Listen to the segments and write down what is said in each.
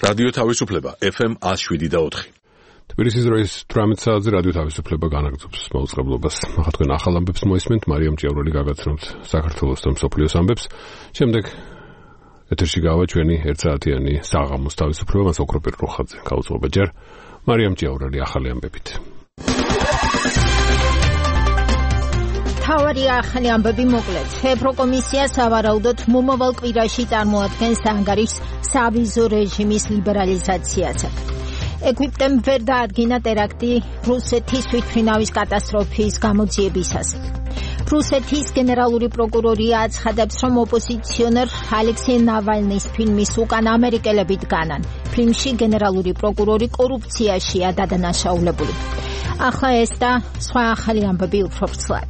რადიო თავისუფლება FM 107.4. თბილისის დროის 18 საათზე რადიო თავისუფლება განაგრძობს მაუწყებლობას. ახლა თქვენ ახალ ამბებს მოისმენთ, მარიამ ჭიაურელი გაგაცნობთ საქართველოს და მსოფლიოს ამბებს. შემდეგ ეთერში გავა ჩვენი 1 საათიანი საღამოს თავისუფლება, მას ოქროპირ როხაძე გაუძღობა ჯერ. მარიამ ჭიაურელი ახალი ამბებით. თავარი ახალი ამბები მოკლედ. ევროკომისია სავარაუდოდ მომავალ კვირაში წარმოადგენს ანგარიშს სავიზო რეჟიმის ლიბერალიზაციაზე. ეგვიპტემ ვერ დაადგინა ტერაქტი რუსეთის თვითმფრინავის კატასტროფის გამოძიებისას. რუსეთის გენერალური პროკურორი აცხადებს, რომ ოპოზიციონერ ალექსეი ნავალნის ფილმის უკან ამერიკელები დგანან. ფილმში გენერალური პროკურორი კორუფციაშია დადანაშაულებული. ახლა ეს და სხვა ახალი ამბები უფრო ვრცლად.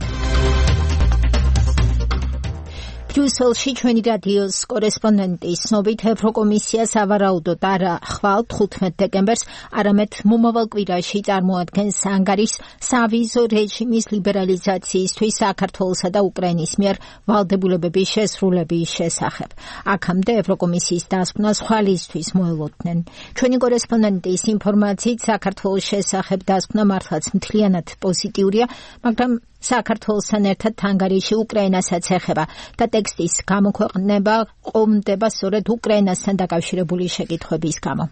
ბრიუსელში ჩვენი რადიოს კორესპონდენტის ცნობით ევროკომისია სავარაუდოდ არა ხვალ 15 დეკემბერს, არამედ მომავალ კვირაში წარმოადგენს ანგარიშს სავიზო რეჟიმის ლიბერალიზაციისთვის საქართველოსა და უკრაინის მიერ ვალდებულებების შესრულების შესახებ. აქამდე ევროკომისიის დასკვნას ხვალისთვის მოელოდნენ. ჩვენი კორესპონდენტის ინფორმაციით საქართველოს შესახებ დასკვნა მართლაც მთლიანად პოზიტიურია, მაგრამ საქართველოსთან ერთად ანგარიში უკრაინასაც ეხება და ტექსტის გამოქვეყნება ყომდება სწორედ უკრაინასთან დაკავშირებული შეკითხვების გამო.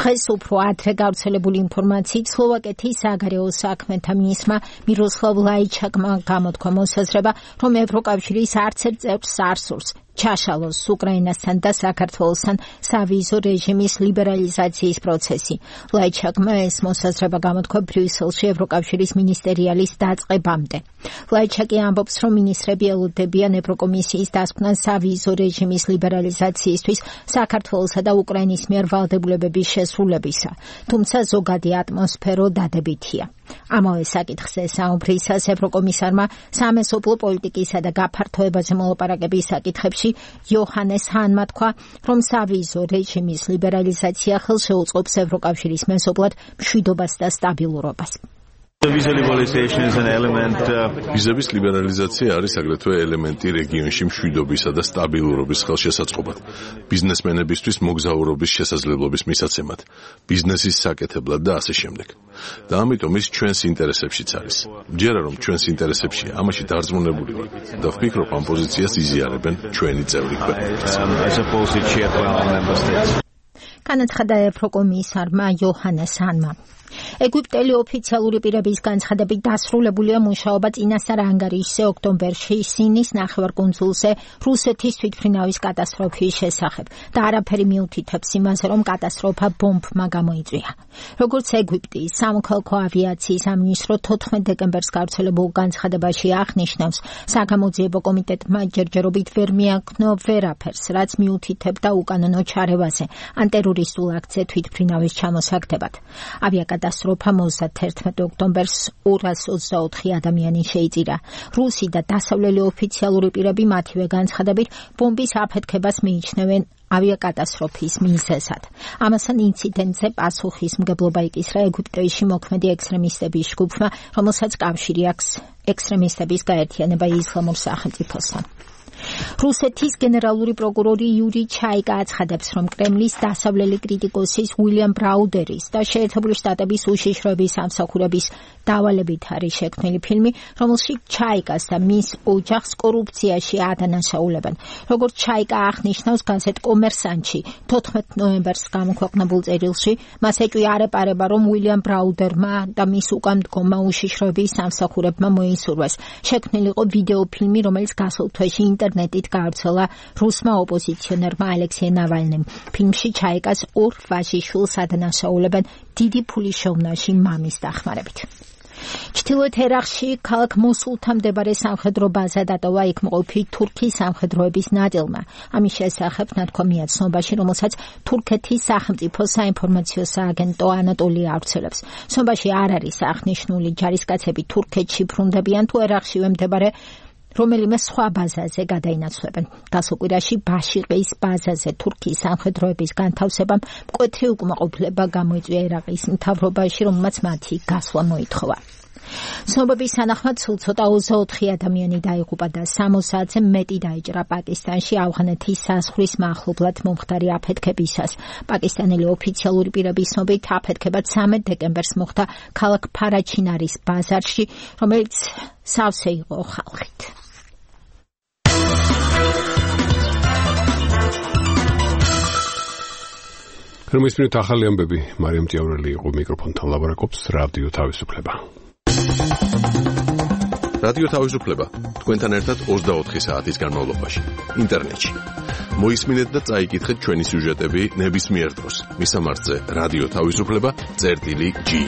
დღეს უფრო ადრე გავრცელებული ინფორმაციით სლოვაკეთის საგარეო საქმეთა მინისტრმა მიროსლავ ლაიჩაკმა გამოთქვა მოსაზრება, რომ ევროკავშირის არც ერთ წევრს არ სურს ჩაშალოს უკრაინასთან და საქართველოსთან სავიზო რეჟიმის ლიბერალიზაციის პროცესი. ლაიჩაკმა ეს მოსაზრება გამოთქვა ბრიუსელში ევროკავშირის მინისტერიალის დაწყებამდე. ლაიჩაკი ამბობს, რომ მინისტრები ელოდებიან ევროკომისიის დასკვნას სავიზო რეჟიმის ლიბერალიზაციისთვის საქართველოსა და უკრაინის მიერ ვალდებულებების შესრულებისა, თუმცა ზოგადი ატმოსფერო დადებითია. ამავე საკითხზე საუბრისას ევროკომისარმა სამეზობლო პოლიტიკისა და გაფართოებაზე მოლაპარაკების საკითხებში იოჰანეს ჰანმა თქვა, რომ სავიზო რეჟიმის ლიბერალიზაცია ხელშეუწყობს ევროკავშირის მეზობლად მშვიდობას და სტაბილურობას. ვიზების ლიბერალიზაცია არის აგრეთვე ელემენტი რეგიონში მშვიდობისა და სტაბილურობის ხელშესაწყობად, ბიზნესმენებისთვის მოგზაურობის შესაძლებლობის მისაცემად, ბიზნესის საკეთებლად და ასე შემდეგ. და ამიტომ ის ჩვენს ინტერესებშიც არის. მჯერა რომ ჩვენს ინტერესებშია, ამაში დარწმუნებული ვარ და ვფიქრობ, ამ პოზიციას იზიარებენ ჩვენი წევრი ქვეყნებიც. განაცხადა ევროკომისარმა იოჰანეს ჰანმა. ეგვიპტელი ოფიციალური პირების განცხადებით დასრულებულია მუშაობა წინასწარ ანგარიშზე ოქტომბერში სინის ნახევარკუნძულზე რუსეთის თვითმფრინავის კატასტროფის შესახებ და არაფერი მიუთითებს იმაზე, რომ კატასტროფა ბომბმა გამოიწვია. როგორც ეგვიპტის სამოქალაქო ავიაციის სამინისტრო 14 დეკემბერს გავრცელებულ განცხადებაში აღნიშნავს, საგამოძიებო კომიტეტმა ჯერჯერობით ვერ მიაქნო ვერაფერს, რაც მიუთითებდა უკანონო ჩარევაზე ან ტერორისტულ აქციაზე თვითმფრინავის ჩამოსაგდებად. კატასტროფა 31 ოქტომბერს 224 ადამიანი შეიწირა. რუსი და დასავლელი ოფიციალური პირები მათივე განცხადებით ბომბის აფეთქებას მიიჩნევენ ავიაკატასტროფის მიზეზად. ამასთან ინციდენტზე პასუხისმგებლობა იკისრა ეგვიპტეში მოქმედი ექსტრემისტების ჯგუფმა, რომელსაც კავშირი აქვს ექსტრემისტების გაერთიანება ისლამურ სახელმწიფოსთან. რუსეთის გენერალური პროკურორი იური ჩაიკა აცხადებს, რომ კრემლის დასავლელი კრიტიკოსის უილიამ ბრაუდერის და შეერთებული შტატების უშიშროების სამსახურების დავალებით არის შექმნილი ფილმი, რომელშიც ჩაიკას და მის ოჯახს კორუფციაში ადანაშაულებენ. როგორც ჩაიკა აღნიშნავს გაზეთ კომერსანტში 14 ნოემბერს გამოქვეყნებულ წერილში, მას ეჭვი არ ეპარება, რომ უილიამ ბრაუდერმა და მის უკანდგომმა უშიშროების სამსახურებმა მოისურვეს. შექმნილი იყო ვიდეო ფილმი, რომელიც გასულ თვეში ინტერნეტით გავრცელა რუსმა ოპოზიციონერმა ალექსეი ნავალნიმ. ფილმში ჩაიკას ორ ვაჟიშვილს ადანაშაულებენ დიდი ფულის შოვნაში მამის დახმარებით. ჩრდილოეთ ერაყში ქალაქ მოსულთან მდებარე სამხედრო ბაზა დატოვა იქ მყოფი თურქის სამხედროების ნაწილმა. ამის შესახებ ნათქვამია ცნობაში, რომელსაც თურქეთის სახელმწიფო საინფორმაციო სააგენტო ანატოლია ავრცელებს. ცნობაში არ არის აღნიშნული ჯარისკაცები თურქეთში ბრუნდებიან თუ ერაყშივე მდებარე რომელიმე სხვა ბაზაზე გადაინაცვლებენ. გასულ კვირაში ბაშიყის ბაზაზე თურქიის სამხედროების განთავსებამ მკვეთრი უკმაყოფილება გამოიწვია ერაყის მთავრობაში, რომელმაც მათი გასვლა მოითხოვა. ცნობების თანახმად სულ ცოტა 24 ადამიანი დაიღუპა და 60 საათზე მეტი დაიჭრა პაკისტანში ავღანეთის საზღვრის მახლობლად მომხდარი აფეთქებისას. პაკისტანელი ოფიციალური პირების ცნობით აფეთქება 13 დეკემბერს მოხდა ქალაქ ფარაჩინარის ბაზარში, რომელიც სავსე იყო ხალხით. ქრომისმით ახალი ამბები მარიამ ჭიაურელი იყო მიკროფონთან ლაბორატორს რადიო თავისუფლება. რადიო თავისუფლება თქვენთან ერთად 24 საათის განმავლობაში ინტერნეტში. მოისმინეთ და წაიკითხეთ ჩვენი სიუჟეტები ნებისმიერ დროს. მისამართზე რადიო თავისუფლება.gi.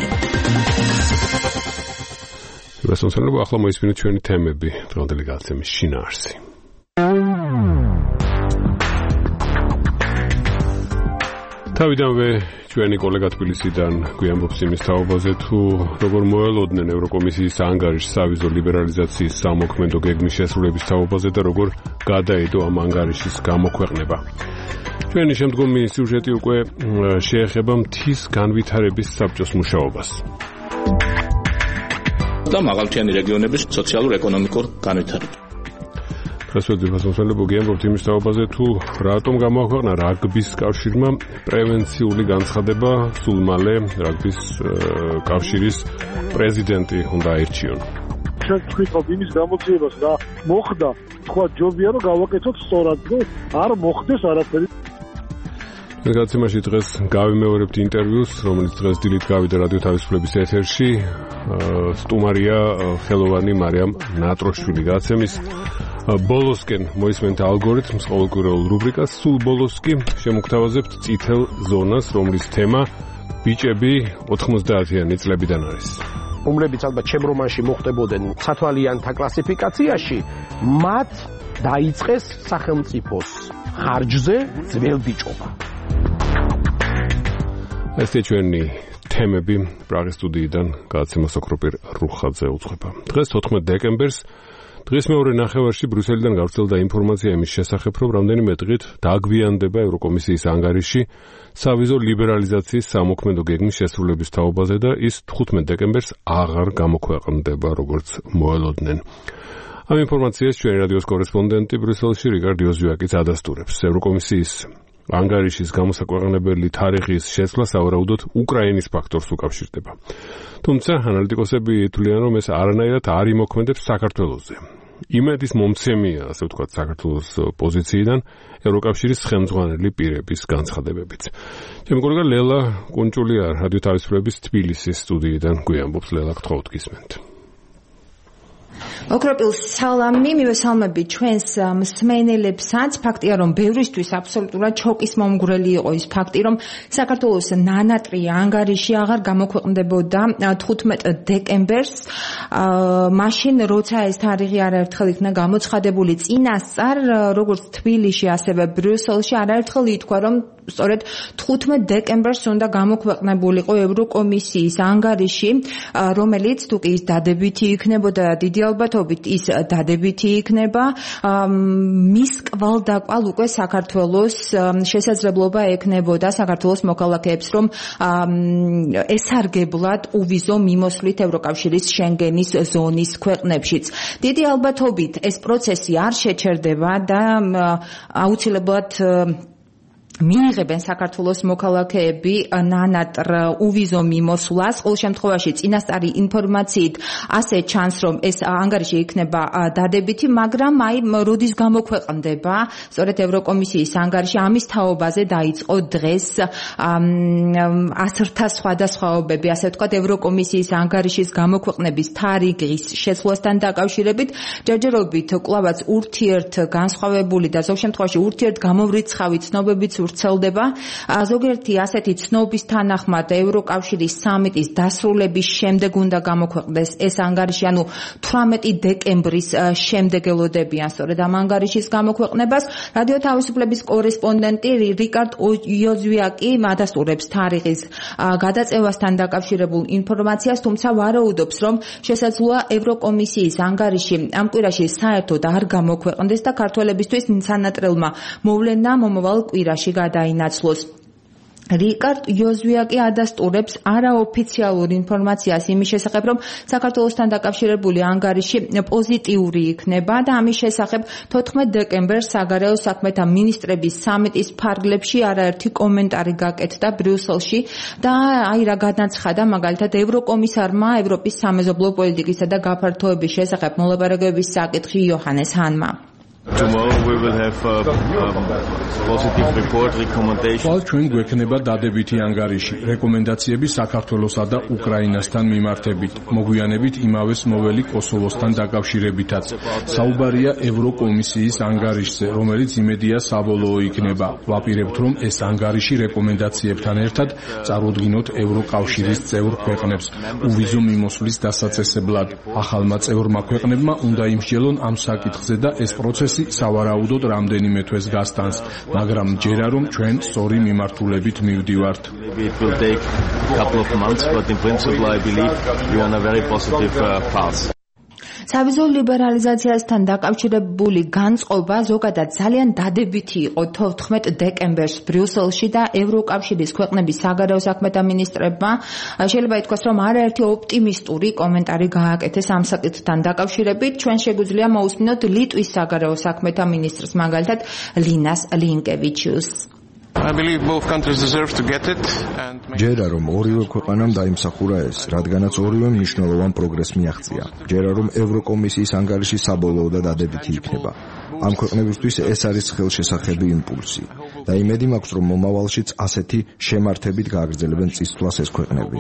გასასწორებო ახლა მოისმინეთ ჩვენი თემები დღევანდელი გადაცემის შინაარსი. თავიდანვე ჩვენი კოლეგა თბილისიდან გვიამბობს იმის თაობაზე თუ როგორ მოელოდნენ ევროკომისიის ანგარიშს სავიზო ლიბერალიზაციის სამოქმედო გეგმის შესრულების თაობაზე და როგორ გადაიდო ამ ანგარიშის გამოქვეყნება. ჩვენი შემდგომი სიუჟეტი უკვე შეეხება მთის განვითარების საბჭოს მუშაობას. და მაღალმთიანი რეგიონების სოციალურ-ეკონომიკურ განვითარებას. გასვედებასმოსალებო გიამბობთ იმის თაობაზე თუ რატომ გამოაქვეყნა რაგბის კავშირმა პრევენციული განცხადება სულ მალე რაგბის კავშირის პრეზიდენტი უნდა აირჩიონ. ჩვენ ვთქვით იმის გამოძიებას რა მოხდა, თქვა ჯობია რომ გავაკეთოთ სწორად და არ მოხდეს არაფერი. გადაცემაში დღეს გავიმეორებთ ინტერვიუს, რომელიც დღეს დილით გავიდა რადიო თავისუფლების ეთერში. სტუმარია ხელოვანი მარიამ ნატროშვილი. გადაცემის ბოლოსკენ მოისმენთ ალგორითმს ყოველკვირეულ რუბრიკას, სულ ბოლოს კი შემოგთავაზებთ წითელ ზონას, რომლის თემა ბიჭები 90-იანი წლებიდან არის. რომლებიც ალბათ ჩემ რომანში მოხდებოდნენ სათვალიანთა კლასიფიკაციაში, მათ დაიწყეს სახელმწიფოს ხარჯზე ძველბიჭობა. ესეთი ჩვენი თემები პრაღის სტუდიიდან გადაცემას ოქროპირ რუხაძე უძღვება. დღეს 14 დეკემბერს დღის მეორე ნახევარში ბრიუსელიდან გავრცელდა ინფორმაცია იმის შესახებ, რომ რამდენიმე დღით დაგვიანდება ევროკომისიის ანგარიში სავიზო ლიბერალიზაციის სამოქმედო გეგმის შესრულების თაობაზე და ის 15 დეკემბერს აღარ გამოქვეყნდება, როგორც მოელოდნენ. ამ ინფორმაციას ჩვენი რადიოს კორესპონდენტი ბრიუსელში რიგარდ ოზიაკიც ადასტურებს. ევროკომისიის ანგარიშის გამოსაქვეყნებელი თარიღის შეცვლა სავარაუდოდ უკრაინის ფაქტორს უკავშირდება. თუმცა ანალიტიკოსები თვლიან, რომ ეს არანაირად არ იმოქმედებს საქართველოზე. იმედის მომცემია, ასე ვთქვათ, საქართველოს პოზიციიდან ევროკავშირის ხელმძღვანელი პირების განცხადებებით. ჩემი კოლეგა ლელა კუნჭულია რადიო თავისუფლების თბილისის სტუდიიდან გვიამბობს. ლელა, გთხოვთ გისმენთ. ოქროპილ სალამი, მივესალმები ჩვენს მსმენელებსაც. ფაქტია, რომ ბევრისთვის აბსოლუტურად შოკის მომგვრელი იყო ის ფაქტი, რომ საქართველოს ნანატრი ანგარიში აღარ გამოქვეყნდებოდა 15 დეკემბერს, მაშინ როცა ეს თარიღი არაერთხელ იქნა გამოცხადებული წინასწარ, როგორც თბილისში, ასევე ბრიუსელში არაერთხელ ითქვა, რომ სწორედ 15 დეკემბერს უნდა გამოქვეყნებულიყო ევროკომისიის ანგარიში, რომელიც თუ კი ის დადებითი იქნებოდა, დიდი ალბათობით ის დადებითი იქნება, მის კვალდაკვალ უკვე საქართველოს შესაძლებლობა ექნებოდა საქართველოს მოქალაქეებს, რომ ესარგებლად უვიზო მიმოსვლით ევროკავშირის შენგენის ზონის ქვეყნებშიც. დიდი ალბათობით ეს პროცესი არ შეჩერდება და აუცილებლად მიიღებენ საქართველოს მოქალაქეები ნანატრ უვიზო მიმოსვლას. ყოველ შემთხვევაში წინასწარი ინფორმაციით ასე ჩანს, რომ ეს ანგარიში იქნება დადებითი, მაგრამ აი როდის გამოქვეყნდება სწორედ ევროკომისიის ანგარიში, ამის თაობაზე დაიწყო დღეს ასრთა სხვადასხვაობები, ასე ვთქვათ, ევროკომისიის ანგარიშის გამოქვეყნების თარიღის შეცვლასთან დაკავშირებით. ჯერჯერობით კვლავაც ურთიერთგანსხვავებული და ზოგ შემთხვევაში ურთიერთგამომრიცხავი ცნობებიც ვრცელდება. ზოგიერთი ასეთი ცნობის თანახმად ევროკავშირის სამიტის დასრულების შემდეგ უნდა გამოქვეყნდეს ეს ანგარიში, ანუ 18 დეკემბრის შემდეგ ელოდებიან სწორედ ამ ანგარიშის გამოქვეყნებას. რადიო თავისუფლების კორესპონდენტი რიკარდ ოზიაკი ადასტურებს თარიღის გადაწევასთან დაკავშირებულ ინფორმაციას, თუმცა ვარაუდობს, რომ შესაძლოა ევროკომისიის ანგარიში ამ კვირაში საერთოდ არ გამოქვეყნდეს და ქართველებისთვის სანატრელმა მოვლენა მომავალ კვირაში გადაინაცვლოს. რიკარდ იოზვიაკი ადასტურებს არაოფიციალურ ინფორმაციას იმის შესახებ, რომ საქართველოსთან დაკავშირებული ანგარიში პოზიტიური იქნება და ამის შესახებ 14 დეკემბერს საგარეო საქმეთა მინისტრების სამიტის ფარგლებში არაერთი კომენტარი გაკეთდა ბრიუსელში და რა განაცხადა მაგალითად ევროკომისარმა ევროპის სამეზობლო პოლიტიკისა და გაფართოების შესახებ მოლაპარაკებების საკითხი იოჰანეს ჰანმა. Tomorrow we will have positive report recommendation. Ყოველ ჩვენ გვექნება დადებითი ანგარიში, რეკომენდაციები საქართველოსა და უკრაინასთან მიმართებით, მოგვიანებით იმავეს მოვლელი კოსოვოსთან დაკავშირებითაც. საუბარია ევროკომისიის ანგარიშზე, რომელიც იმედია საბოლოო იქნება. ვაპირებთ, რომ ეს ანგარიში რეკომენდაციებთან ერთად წარუდგინოთ ევროკავშირის წევრ ქვეყნებს უვიზო მიმოსვლის დასაწესებლად. ახალმა წევრმა ქვეყნებმა უნდა იმსჯელონ ამ საკითხზე და ეს პროცესი სავარაუდოდ რამდენიმე თვეს გასტანს, მაგრამ ჯერა რომ ჩვენ სწორი მიმართულებით მივდივართ. It will take a couple of months, but in principle I believe we are on a very positive path. სავიზო ლიბერალიზაციასთან დაკავშირებული განწყობა ზოგადად ძალიან დადებითი იყო 14 დეკემბერს ბრიუსელში და ევროკავშირის ქვეყნების საგარეო საქმეთა მინისტრებმა შეიძლება ითქვას, რომ არაერთი ოპტიმისტური კომენტარი გააკეთეს ამ საკითხთან დაკავშირებით. ჩვენ შეგვიძლია მოусმინოთ ლიტვის საგარეო საქმეთა მინისტრს, მაგალითად ლინას ლინკევიჩიუსს. I believe both countries deserve to get it and ჯერა რომ ორივე ქვეყანამ დაიმსახურა ეს, რადგანაც ორივე მნიშვნელოვან პროგრესს მიაღწია. ჯერა რომ ევროკომისიის ანგარიში საბოლოო და დადებითი იქნება. ამ ქვეყნებისთვის ეს არის ხელშესახები იმპულსი და იმედი მაქვს, რომ მომავალშიც ასეთი შემართებით გააგრძელებენ წისთვლას ეს ქვეყნები.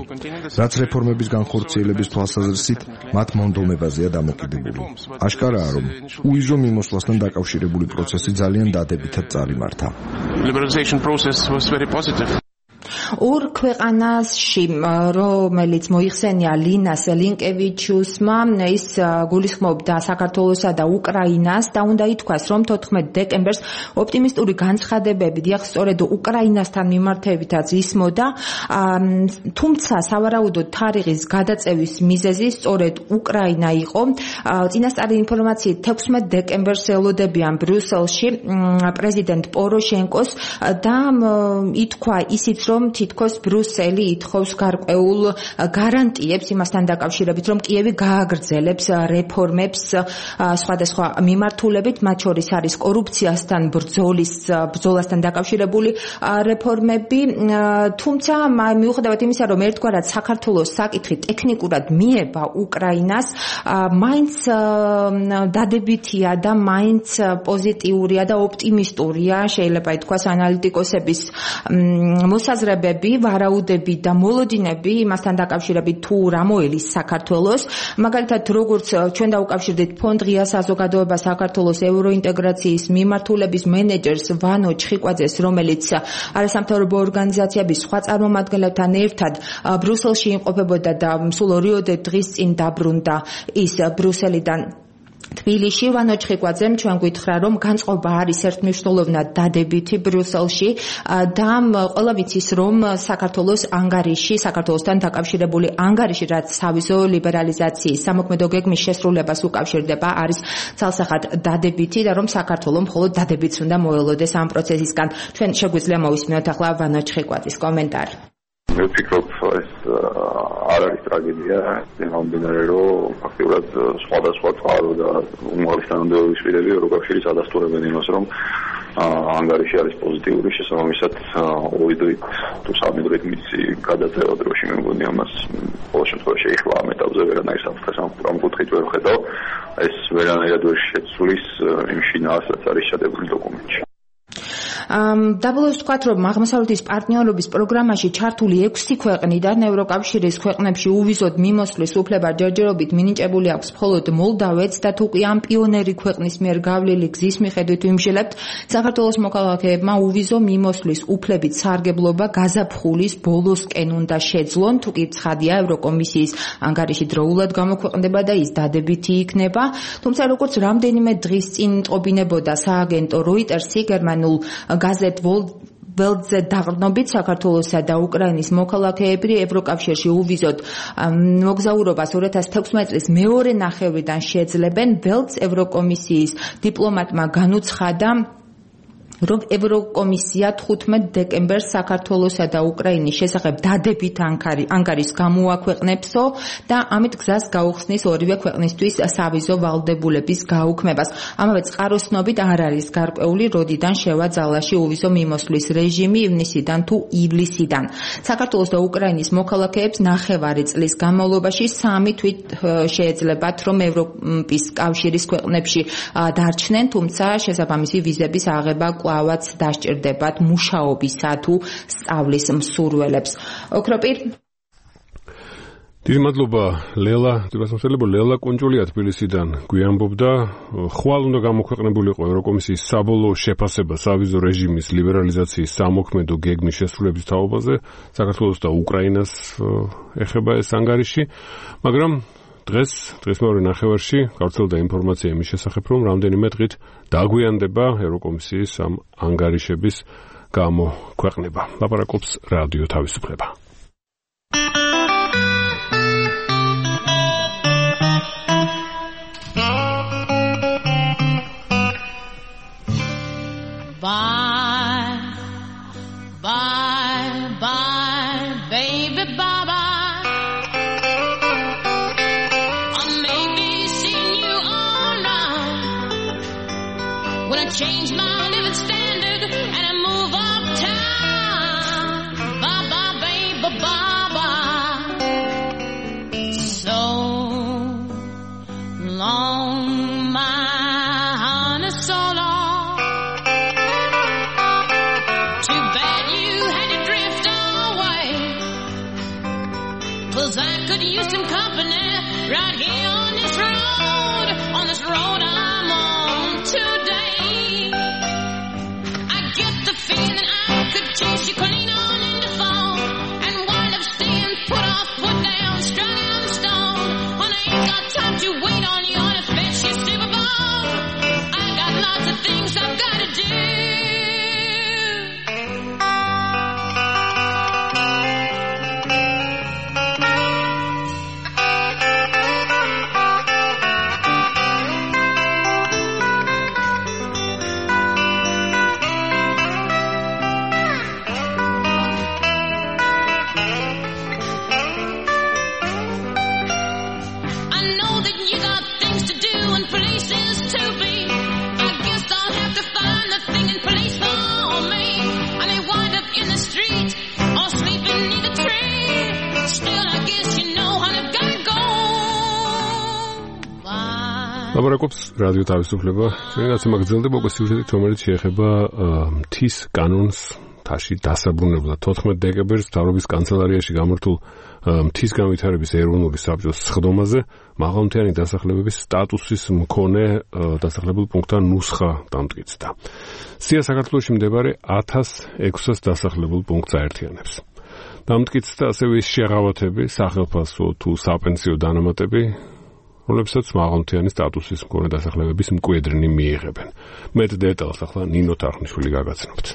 რაც რეფორმების განხორციელების თვალსაზრისით მათ მონდომებაზეა დამოკიდებული. აშკარაა, რომ უვიზო მიმოსვლასთან დაკავშირებული პროცესი ძალიან დადებითად წარიმართა. Liberalization process was very positive. ორ ქვეყანაში, რომელიც მოიხსენია ლინას ლინკევიჩიუსმა, ის გულისხმობდა საქართველოსა და უკრაინას და უნდა ითქვას, რომ 14 დეკემბერს ოპტიმისტური განცხადებები დიახ სწორედ უკრაინასთან მიმართებითაც ისმოდა, თუმცა სავარაუდოდ თარიღის გადაწევის მიზეზი სწორედ უკრაინა იყო. წინასწარი ინფორმაციით 16 დეკემბერს ელოდებიან ბრიუსელში პრეზიდენტ პოროშენკოს და ითქვა ისიც, რომ თითქოს ბრიუსელი ითხოვს გარკვეულ გარანტიებს იმასთან დაკავშირებით, რომ კიევი გააგრძელებს რეფორმებს სხვადასხვა მიმართულებით, მათ შორის არის კორუფციასთან ბრძოლასთან დაკავშირებული რეფორმები, თუმცა მიუხედავად იმისა, რომ ერთგვარად საქართველოს საკითხი ტექნიკურად მიება უკრაინას, მაინც დადებითია და მაინც პოზიტიურია და ოპტიმისტურია, შეიძლება ითქვას ანალიტიკოსების მოსაზრებები, ვარაუდები და მოლოდინები იმასთან დაკავშირებით თუ რა მოელის საქართველოს. მაგალითად, როგორც ჩვენ დაუკავშირდით ფონდ ღია საზოგადოება საქართველოს ევროინტეგრაციის მიმართულების მენეჯერს ვანო ჩხიკვაძეს, რომელიც არასამთავრობო ორგანიზაციების სხვა წარმომადგენლებთან ერთად ბრიუსელში იმყოფებოდა და სულ 2 დღის წინ დაბრუნდა ის ბრიუსელიდან თბილისში. ვანო ჩხიკვაძემ ჩვენ გითხრა, რომ განწყობა არის ერთმნიშვნელოვნად დადებითი ბრიუსელში და ყველა ვიცის, რომ საქართველოს ანგარიში, საქართველოსთან დაკავშირებული ანგარიში, რაც სავიზო ლიბერალიზაციის სამოქმედო გეგმის შესრულებას უკავშირდება, არის ცალსახად დადებითი და რომ საქართველოს მხოლოდ დადებითს უნდა მოელოდეს ამ პროცესისგან. ჩვენ შეგვიძლია მოვისმინოთ ახლა ვანო ჩხიკვაძის კომენტარი. მე ვფიქრობ, ეს არ არის ტრაგედია, იმამდენარე რომ ფაქტობრივად სხვადასხვა წყარო და უმაღლესი თანამდებობის პირები ევროკავშირის ადასტურებენ იმას, რომ ანგარიში არის პოზიტიური, შესაბამისად ორი დღით თუ სამი დღით მისი გადაწევა დროში მე მგონი ამას ყოველ შემთხვევაში ეხლა ამ ეტაპზე ვერანაირ საფრთხეს ამ კუთხით ვერ ვხედავ, ეს ვერანაირად ვერ შეცვლის იმ შინაარს, რაც არის ჩადებული დოკუმენტში. დაბოლოებით ვთქვათ, რომ აღმოსავლეთის პარტნიორობის პროგრამაში ჩართული 6 ქვეყნიდან ევროკავშირის ქვეყნებში უვიზოდ მიმოსვლის უფლება ჯერჯერობით მინიჭებული აქვს მხოლოდ მოლდავეთს და თუ კი ამ პიონერი ქვეყნის მიერ გავლილი გზის მიხედვით ვიმსჯელებთ, საქართველოს მოქალაქეებმა უვიზო მიმოსვლის უფლებით სარგებლობა გაზაფხულის ბოლოსკენ უნდა შეძლონ, თუ კი ცხადია ევროკომისიის ანგარიში დროულად გამოქვეყნდება და ის დადებითი იქნება. თუმცა როგორც რამდენიმე დღის წინ ტყობინებოდა სააგენტო როიტერსი, გერმანულ გაზეთ ველტზე დაყრდნობით საქართველოსა და უკრაინის მოქალაქეები ევროკავშირში უვიზოდ მოგზაურობას 2016 წლის მეორე ნახევრიდან შეძლებენ. ველტს ევროკომისიის დიპლომატმა განუცხადა, რომ ევროკომისია 15 დეკემბერს საქართველოსა და უკრაინის შესახებ დადებით ანგარიშს გამოაქვეყნებსო და ამით გზას გაუხსნის ორივე ქვეყნისთვის სავიზო ვალდებულების გაუქმებას. ამავე წყაროსნობით არ არის გარკვეული, როდიდან შევა ძალაში უვიზო მიმოსვლის რეჟიმი ივნისიდან თუ ივლისიდან. საქართველოს და უკრაინის მოქალაქეებს 9 წლის განმავლობაში 3 თვით შეეძლებათ, რომ ევროპის კავშირის ქვეყნებში დარჩნენ, თუმცა შესაბამისი ვიზების აღება კვლავაც დასჭირდებათ მუშაობისა თუ სწავლის მსურველებს. ოქროპირ დიდი მადლობა ლელა, ლელა კუნჭულია თბილისიდან გვიამბობდა, ხვალ უნდა გამოქვეყნებულიყო ევროკომისიის საბოლოო შეფასება სავიზო რეჟიმის ლიბერალიზაციის სამოქმედო გეგმის შესრულების თაობაზე, საქართველოს და უკრაინას ეხება ეს ანგარიში, მაგრამ დღეს მეორე ნახევარში გავრცელდა ინფორმაცია იმის შესახებ, რომ რამდენიმე დღით დაგვიანდება ევროკომისიის ამ ანგარიშების გამოქვეყნება. ლაპარაკობს რადიო თავისუფლება. Change my living standard and I move uptown. Bye bye, baby, bye bye. So long, my honey, so long. Too bad you had to drift away. 'Cause I could use some company right here on this road I'm on today. Feeling I could chase you clean on in the phone and wind up staying put off, put down, strung on stone. When I ain't got time to wait on you on a fishy Super Bowl. I got lots of things I've got to do. ლაპარაკობს რადიო თავისუფლება. ჩვენაც მაგძელდება უკვე სიუჟეტით, რომელიც შეეხება მთის კანონს, მთაში დასაბრუნებლად 14 დეკემბერს მთავრობის კანცელარიაში გამართულ მთის განვითარების ეროვნული საბჭოს სხდომაზე მაღალმთიანი დასახლებების სტატუსის მქონე დასახლებულ პუნქტთან ნუსხა დამტკიცდა. სია საქართველოში მდებარე 1600 დასახლებულ პუნქტს აერთიანებს. დამტკიცდა ასევე ის შეღავათები, სახელფასო თუ საპენსიო დანამატები, რომლებსაც მაღალმთიანი სტატუსის მქონე დასახლებების მკვიდრნი მიიღებენ. მეტ დეტალს ახლა ნინო თარხნიშვილი გაგაცნობთ.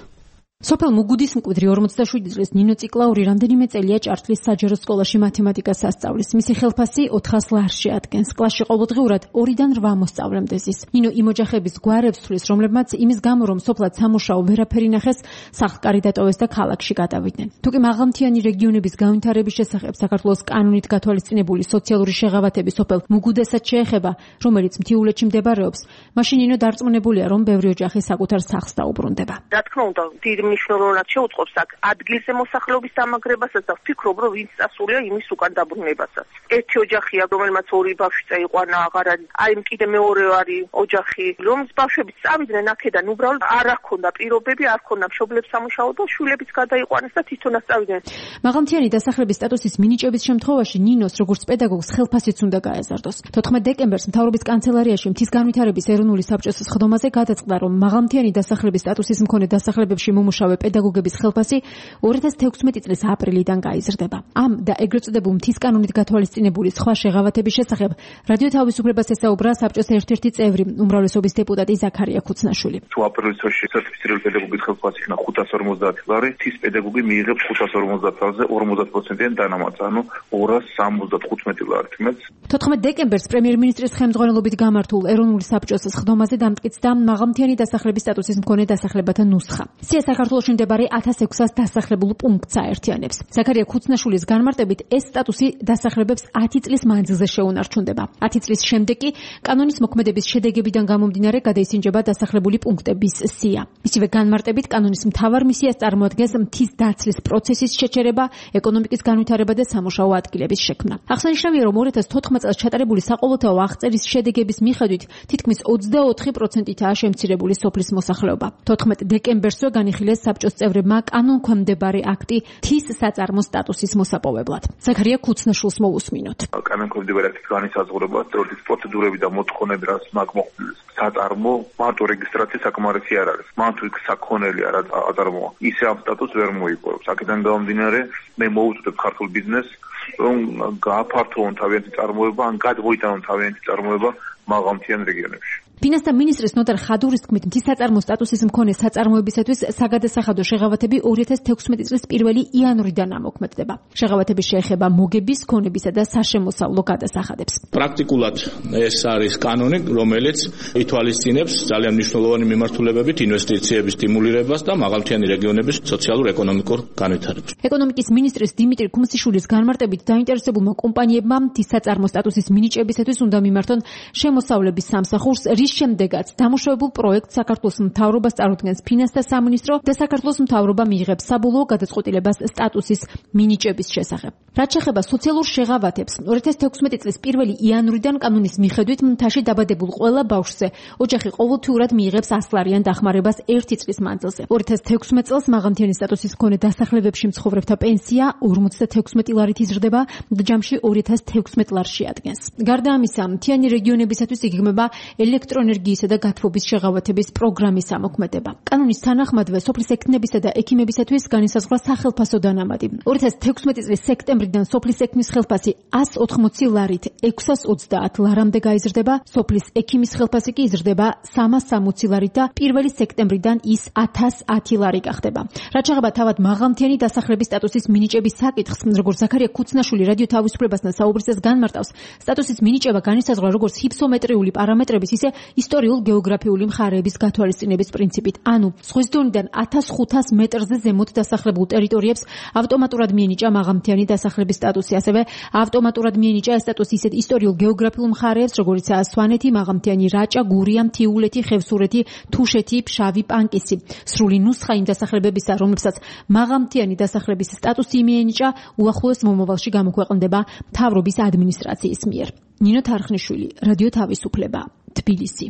სოფელ მუგუდის მკვიდრი 47 წლის ნინო ციკლაური რამდენიმე წელია ჭართლის საჯარო სკოლაში მათემატიკას ასწავლის. მისი ხელფასი 400 ლარში ადგენს. კლასში ყოველდღიურად 2-დან 8 მოსწავლემდე ზის. ნინო იმ ოჯახების გვარებს თვლის, რომლებმაც იმის გამო, რომ სოფლად სამუშაო ვერაფერი ნახეს, სახლკარი დატოვეს და ქალაქში გადავიდნენ. თუკი მაღალმთიანი რეგიონების განვითარების შესახებ საქართველოს კანონით გათვალისწინებული სოციალური შეღავათები სოფელ მუგუდესაც შეეხება, რომელიც მთიულეთში მდებარეობს, მაშინ ნინო დარწმუნებულია, რომ ბევრი ოჯახი საკუთარ სახლს დაუბრუნდება. რა თქმა უნდა, მნიშვნელოვნად შეუწყობს აქ ადგილზე მოსახლეობის დამაგრებასაც და ვფიქრობ, რომ ვინც წასულია იმის უკან დაბრუნებასაც. ერთი ოჯახია, რომელმაც 2 ბავშვი წაიყვანა, აღარ არის. აი კიდე მეორე არის ოჯახი, რომლის ბავშვებიც წავიდნენ აქედან, უბრალოდ არ აქონდა პირობები, არ ქონდა მშობლებს სამუშაო და შვილებიც გადაიყვანეს და თვითონაც წავიდნენ. მაღალმთიანი დასახლების სტატუსის მინიჭების შემთხვევაში ნინოს როგორც პედაგოგს ხელფასიც უნდა გაეზარდოს. 14 დეკემბერს მთავრობის კანცელარიაში მთის განვითარების ეროვნული საბჭოს სხდომაზე გადაწყდა, რომ მაღალმთიანი დასახლების სტატუსის მქონე დასახლებებში დამუშავე პედაგოგების ხელფასი 2016 წლის აპრილიდან გაიზრდება. ამ და ეგრეთ წოდებულ მთის კანონით გათვალისწინებული სხვა შეღავათების შესახებ რადიო თავისუფლებას ესაუბრა საბჭოს ერთ-ერთი წევრი, უმრავლესობის დეპუტატი ზაქარია ქუცნაშვილი. თუ აპრილის თვეში სერტიფიცირებული პედაგოგის ხელფასი იქნა 550 ლარი, მთის პედაგოგი მიიღებს 550 ლარზე 50%-იან დანამატს, ანუ 275 ლარით მეტს. 14 დეკემბერს პრემიერ-მინისტრის ხელმძღვანელობით გამართულ ეროვნული საბჭოს სხდომაზე დამტკიცდა მაღალმთიანი დასახლების სტატუსის მქონე დასახლებათა ნუსხა. სია საქართველოში მდებარე 1600 დასახლებულ პუნქტს აერთიანებს. ზაქარია ქუცნაშვილის განმარტებით ეს სტატუსი დასახლებებს 10 წლის მანძილზე შეუნარჩუნდება. 10 წლის შემდეგ კი კანონის მოქმედების შედეგებიდან გამომდინარე გადაისინჯება დასახლებული პუნქტების სია. მისივე განმარტებით კანონის მთავარ მისიას წარმოადგენს მთის დაცლის პროცესის შეჩერება, ეკონომიკის განვითარება და სამუშაო ადგილების შექმნა. აღსანიშნავია, რომ 2014 წელს ჩატარებული საყოველთაო აღწერის შედეგების მიხედვით თითქმის 24%-ითაა შემცირებული სოფლის მოსახლეობა. 14 დეკემბერსვე განიხილეს საბჭოს წევრებმა კანონქვემდებარე აქტი მთის საწარმო სტატუსის მოსაპოვებლად. ზაქარია ქუცნაშვილს მოусმინოთ. კანონქვემდებარე აქტის განისაზღვრება თეორიის პროცედურები და მოთხოვნები, რაც მაგმოხილეს საწარმო მარტო რეგისტრაცია საკმარისი არ არის. მან თუ იქ საქონელი არ აწარმოა, ისე ამ სტატუსს ვერ მოიპოვებს. აქედან გამომდინარე, მე მოუწოდებ ქართულ ბიზნესს, რომ გააფართოვონ თავიანთი წარმოება, ან გადმოიტანონ თავიანთი წარმოება მაღალმთიან რეგიონებში. ფინანსთა მინისტრის ნოტარ ხადურის თქმით, მთის საწარმო სტატუსის მქონე საწარმოებისათვის საგადასახადო შეღავათები 2016 წლის 1 იანვრიდან ამოქმედდება. შეღავათები შეეხება მოგების, ქონებისა და საშემოსავლო გადასახადებს. პრაქტიკულად ეს არის კანონი, რომელიც ითვალისწინებს ძალიან მნიშვნელოვანი მიმართულებებით ინვესტიციების სტიმულირებას და მაღალმთიანი რეგიონების სოციალურ-ეკონომიკურ განვითარებას. ეკონომიკის მინისტრის დიმიტრი ქუმსიშვილის განმარტებით დაინტერესებულმა კომპანიებმა მთის საწარმო სტატუსის მინიჭებისათვის უნდა მიმართონ შემოსავლების სამსახურს, რის შემდეგაც დამუშავებულ პროექტს საქართველოს მთავრობას წარუდგენს ფინანსთა სამინისტრო და საქართველოს მთავრობა მიიღებს საბოლოო გადაწყვეტილებას სტატუსის მინიჭების შესახებ. რაც შეეხება სოციალურ შეღავათებს, 2016 წლის 1 იანვრიდან კანონის მიხედვით მთაში დაბადებულ ყველა ბავშვზე ოჯახი ყოველთვიურად მიიღებს 100 ლარიან დახმარებას 1 წლის მანძილზე. 2016 წელს მაღალმთიანი სტატუსის მქონე დასახლებებში მცხოვრებთა პენსია 56 ლარით იზრდება და ჯამში 2016 ლარს შეადგენს. გარდა ამისა, მთიანი რეგიონებისათვის იგეგმება ელექტროენერგიისა და გათბობის შეღავათების პროგრამის ამოქმედება. კანონის თანახმადვე სოფლის ექიმებისა და ექიმებისათვის განისაზღვრა სახელფასო დანამატი. 2016 წლის სექტემბრიდან სოფლის ექიმის ხელფასი 180 ლარით 630 ლარამდე გაიზრდება, სოფლის ექიმის ხელფასი კი იზრდება 360 ლარით და 1 სექტემბრიდან ის 1010 ლარი გახდება. რაც შეეხება თავად მაღალმთიანი დასახლების სტატუსის მინიჭების საკითხს, როგორც ზაქარია ქუცნაშვილი რადიო თავისუფლებასთან საუბრისას განმარტავს, სტატუსის მინიჭება განისაზღვრა როგორც ჰიფსომეტრიული პარამეტრების, ისე ისტორიულ-გეოგრაფიული მხარეების გათვალისწინების პრინციპით. ანუ ზღვის დონიდან 1500 მეტრზე ზემოთ დასახლებულ ტერიტორიებს ავტომატურად მიენიჭა მაღალმთიანი დასახლების სტატუსი, ასევე ავტომატურად მიენიჭა ეს სტატუსი ისეთ ისტორიულ-გეოგრაფიულ მხარეებს, როგორიცაა სვანეთი, მაღალმთიანი რაჭა, გურია, მთიულეთი, ხევსურეთი, თუშეთი, ფშავი, პანკისი. სრული ნუსხა იმ დასახლებებისა, რომლებსაც მაღალმთიანი დასახლების სტატუსი მიენიჭა, უახლოეს მომავალში გამოქვეყნდება მთავრობის ადმინისტრაციის მიერ. ნინო თარხნიშვილი, რადიო თავისუფლება, თბილისი.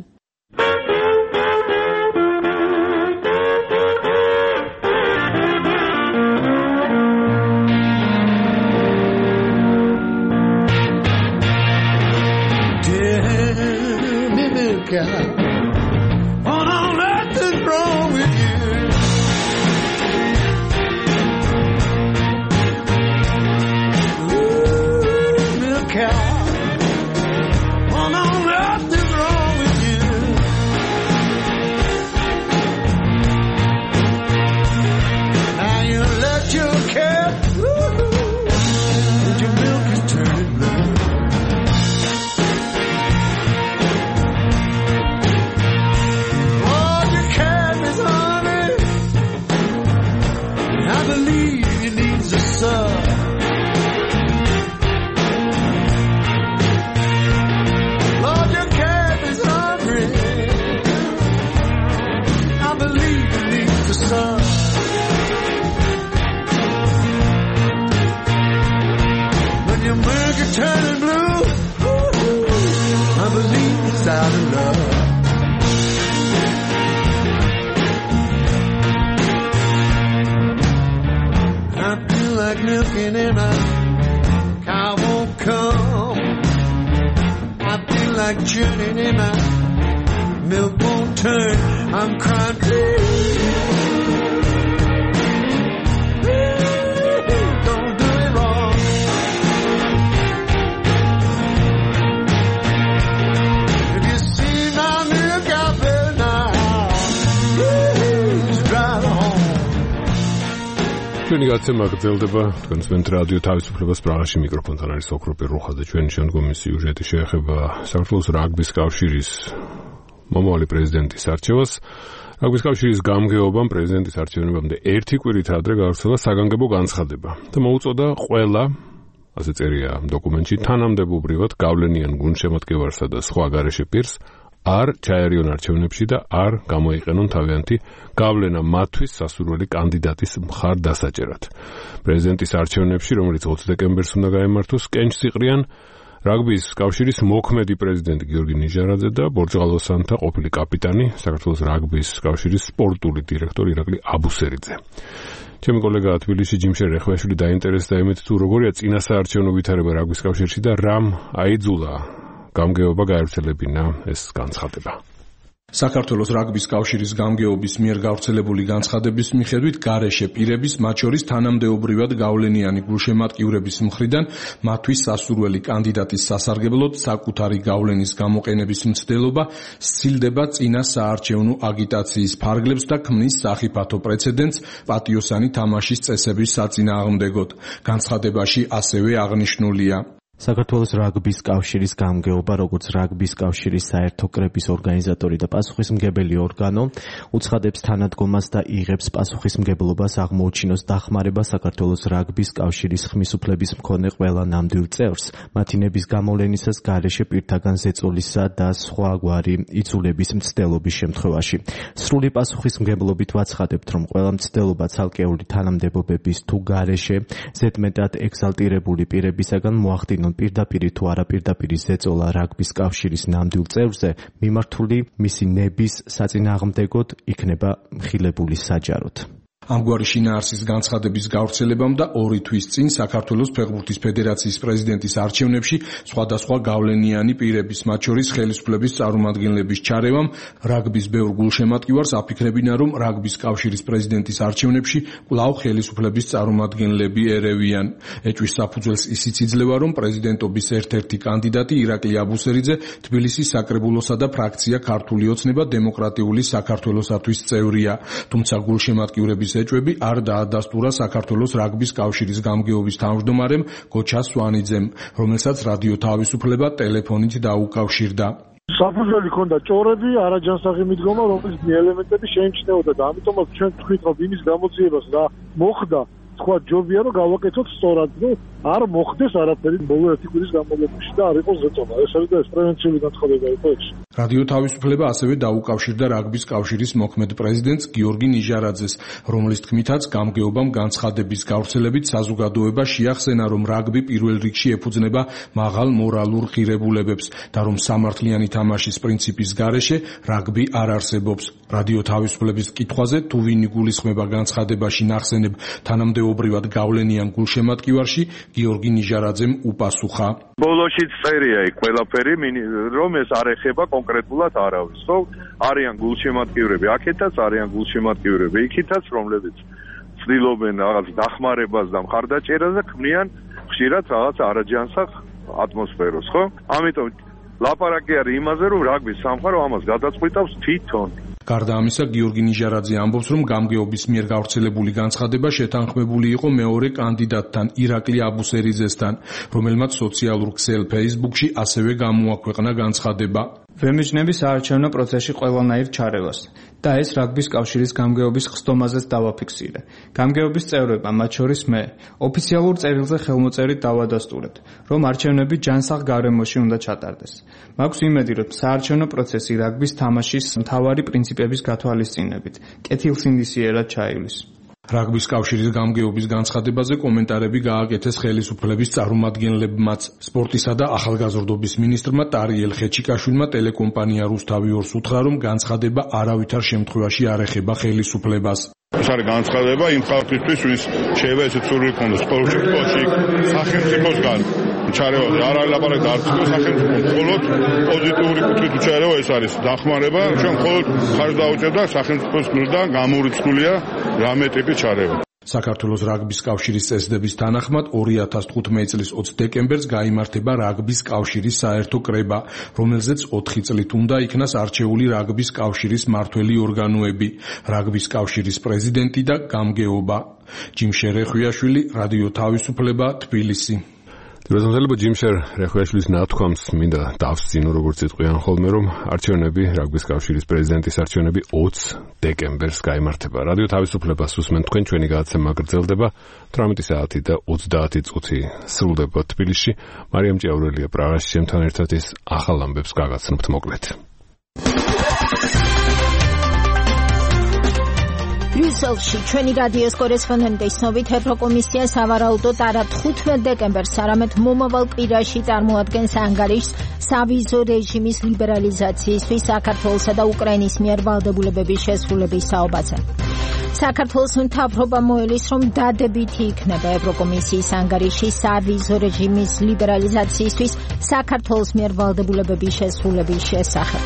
What on earth is wrong with you? Ooh, little cow. What on earth is wrong with you? Now you let your cat, and your milk is turning blue. Lord, your calf is hungry. I believe it needs the sun. When your milk is turning blue, I believe it's out of love. I feel like milking and a cow won't come. I feel like churning and my milk won't turn. I'm crying, please. ჩვენი გაცემა გრძელდება. თქვენს მენთ რადიო თავისუფლებას პრაღაში მიკროფონთან არის ოქროპირ რუხაძე. ჩვენი შემდგომი სიუჟეტი შეეხება საქართველოს რაგბის კავშირის მომავალი პრეზიდენტის არჩევას. რაგბის კავშირის გამგეობამ პრეზიდენტის არჩევნებამდე 1 კვირით ადრე გავრცელა საგანგებო განცხადება და მოუწოდა ყველა, ასე წერია დოკუმენტში, თანამდებობრივად გავლენიან გუნდშემატკივარსა და სხვა გარეშე პირს არ ჩაერიონ არჩევნებში და არ გამოიყენონ თავიანთი გავლენა მათთვის სასურველი კანდიდატის მხარდასაჭერად. პრეზიდენტის არჩევნებში, რომელიც 20 დეკემბერს უნდა გაემართოს, კენჭს იყრიან რაგბის კავშირის მოქმედი პრეზიდენტი გიორგი ნიჟარაძე და ბორჯღალოსანთა ყოფილი კაპიტანი, საქართველოს რაგბის კავშირის სპორტული დირექტორი ირაკლი აბუსერიძე. ჩემი კოლეგა თბილისში ჯიმშერ რეხვეშვილი დაინტერესდა იმით, თუ როგორია წინასაარჩევნო ვითარება რაგბის კავშირში და რამ აიძულა გამგეობა გაერთელებინა ეს განცხადება. საქართველოს რაგბის კავშირის გამგეობის მიერ გავრცელებული განცხადების მიხედვით გარეშე პირების, მათ შორის თანამდებობრივად გავლენიანი გულშემატკივრების მხრიდან მათთვის სასურველი კანდიდატის სასარგებლოდ საკუთარი გავლენის გამოყენების მცდელობა სცილდება წინა საარჩევნო აგიტაციის ფარგლებს და ქმნის სახიფათო პრეცედენტს პატიოსანი თამაშის წესების საწინააღმდეგოდ. განცხადებაში ასევე აღნიშნულია: საქართველოს რაგბის კავშირის გამგეობა, როგორც რაგბის კავშირის საერთო კრების ორგანიზატორი და პასუხისმგებელი ორგანო, უცხადებს თანადგომას და იღებს პასუხისმგებლობას აღმოუჩინოს დახმარება საქართველოს რაგბის კავშირის ხმისუფლების მქონე ყველა ნამდვილ წევრს, მათი ნების გამოვლენისას გარეშე პირთაგან ზეწოლისა და სხვაგვარი იწულების მცდელობის შემთხვევაში. სრული პასუხისმგებლობით ვაცხადებთ, რომ ყველა მცდელობა ცალკეული თანამდებობების თუ გარეშე ზედმეტად ეგზალტირებული პირებისაგან მოახდინონ პირდაპირი თუ არაპირდაპირი ზეწოლა რაგბის კავშირის ნამდვილ წევრზე მიმართული მისი ნების საწინააღმდეგოდ იქნება მხილებული საჯაროდ. ამგვარი შინაარსის განცხადების გავრცელებამ და 2 თვის წინ საქართველოს ფეხბურთის ფედერაციის პრეზიდენტის არჩევნებში სხვადასხვა გავლენიანი პირების, მათ შორის ხელისუფლების წარმომადგენლების ჩარევამ რაგბის ბევრ გულშემატკივარს აფიქრებინა, რომ რაგბის კავშირის პრეზიდენტის არჩევნებში კვლავ ხელისუფლების წარმომადგენლები ერევიან. ეჭვის საფუძველს ისიც იძლევა, რომ პრეზიდენტობის ერთ-ერთი კანდიდატი ირაკლი აბუსერიძე თბილისის საკრებულოსა და ფრაქცია ქართული ოცნება დემოკრატიული საქართველოსათვის წევრია, თუმცა გულშემატკივრების ეჭვები არ დაადასტურა საქართველოს რაგბის კავშირის გამგეობის თავმჯდომარემ გოჩა სვანიძემ, რომელსაც რადიო თავისუფლება ტელეფონით დაუკავშირდა. საფუძველი ქონდა ჭორები, არაჯანსაღი მიდგომა, რომლის ელემენტები შეიმჩნეოდა და ამიტომაც ჩვენ თქვით, რომ იმის გამოძიებას რა მოხდა, თქვა ჯობია რომ გავაკეთოთ სწორად, რომ არ მოხდეს არაფერი ბოლო 1 კვირის განმავლობაში და არ იყოს ზეწოლა. ეს არის და ეს პრევენციული განცხადება იყო ეს. რადიო თავისუფლება ასევე დაუკავშირდა რაგბის კავშირის მოქმედ პრეზიდენტს გიორგი ნიჟარაძეს, რომლის თქმითაც გამგეობამ განცხადების გავრცელებით საზოგადოება შეახსენა, რომ რაგბი პირველ რიგში ეფუძნება მაღალ მორალურ ღირებულებებს და რომ სამართლიანი თამაშის პრინციპის გარეშე რაგბი არ არსებობს. რადიო თავისუფლების კითხვაზე, თუ ვინ იგულისხმება განცხადებაში ნახსენებ თანამდებობრივად გავლენიან გულშემატკივარში, გიორგი ნიჟარაძემ უპასუხა: ბოლოშიც წერია იქ ყველაფერი, რომ ეს არ ეხება კონკრეტულად არავის. ხო, არიან გულშემატკივრები აქეთაც, არიან გულშემატკივრები იქითაც, რომლებიც ცდილობენ რაღაც დახმარებას და მხარდაჭერას და ქმნიან ხშირად რაღაც არაჯანსაღ ატმოსფეროს, ხო? ამიტომ ლაპარაკი არის იმაზე, რომ რაგბის სამყარო ამას გადაწყვეტავს თვითონ. გარდა ამისა, გიორგი ნიჟარაძე ამბობს, რომ გამგეობის მიერ გავრცელებული განცხადება შეთანხმებული იყო მეორე კანდიდატთან, ირაკლი აბუსერიძესთან, რომელმაც სოციალურ ქსელ Facebook-ში ასევე გამოაქვეყნა განცხადება. ვემიჯნები საარჩევნო პროცესში ყველანაირ ჩარევას და ეს რაგბის კავშირის გამგეობის ხსდომაზეც დავაფიქსირე. გამგეობის წევრებმა, მათ შორის მე, ოფიციალურ წერილზე ხელმოწერით დავადასტურეთ, რომ არჩევნები ჯანსაღ გარემოში უნდა ჩატარდეს. მაქვს იმედი, რომ საარჩევნო პროცესი რაგბის თამაშის მთავარი პრინციპების გათვალისწინებით კეთილსინდისიერად ჩაივლის. რაგბის კავშირის გამგეობის განცხადებაზე კომენტარები გააკეთეს ხელისუფლების წარმომადგენლებმაც. სპორტისა და ახალგაზრდობის მინისტრმა ტარიელ ხეჩიკაშვილმა ტელეკომპანია რუსთავი 2-ს უთხრა, რომ განცხადება არავითარ შემთხვევაში არ ეხება ხელისუფლებას. ეს არის განცხადება იმ ხალხისთვის, ვინც შეიძლება ესეც სურვილი ჰქონდეს ყოველ შემთხვევაში სახელმწიფოსგან ჩარევა არ არის ლაპარაკი არც სახელმწიფო, მხოლოდ პოზიტიური კუთხით უჩარევა ეს არის დახმარება, ჩვენ მხოლოდ ხარჯს დაუჭერდა სახელმწიფოს მხრიდან გამორიცხულია რამე ტიპის ჩარევა. საქართველოს რაგბის კავშირის წესდების თანახმად 2015 წლის 20 დეკემბერს გაიმართება რაგბის კავშირის საერთო კრება, რომელზეც 4 წლით უნდა იქნას არჩეული რაგბის კავშირის მმართველი ორგანოები, რაგბის კავშირის პრეზიდენტი და გამგეობა. ჯიმშერ რეხვიაშვილი, რადიო თავისუფლება, თბილისი. დროშამზელებო ჯიმშერ რეხვიაშვილის ნათქვამს მინდა დავსწინო, როგორც იტყვიან ხოლმე, რომ არჩევნები, რაგბის კავშირის პრეზიდენტის არჩევნები 20 დეკემბერს გაიმართება. რადიო თავისუფლებას უსმენთ თქვენ, ჩვენი გადაცემა გრძელდება 18 საათი და 30 წუთი სრულდება თბილისში. მარიამ ჭიაურელია პრაღაში ჩემთან ერთად ის ახალ ამბებს გაგაცნობთ მოკლედ. ბრიუსელში ჩვენი რადიოს კორესპონდენტის ცნობით ევროკომისია სავარაუდოდ არა 15 დეკემბერს, არამედ მომავალ კვირაში წარმოადგენს ანგარიშს სავიზო რეჟიმის ლიბერალიზაციისთვის საქართველოსა და უკრაინის მიერ ვალდებულებების შესრულების საუბარზე. საქართველოს მთავრობა მოელის, რომ დადებითი იქნება ევროკომისიის ანგარიში სავიზო რეჟიმის ლიბერალიზაციისთვის საქართველოს მიერ ვალდებულებების შესრულების შესახებ.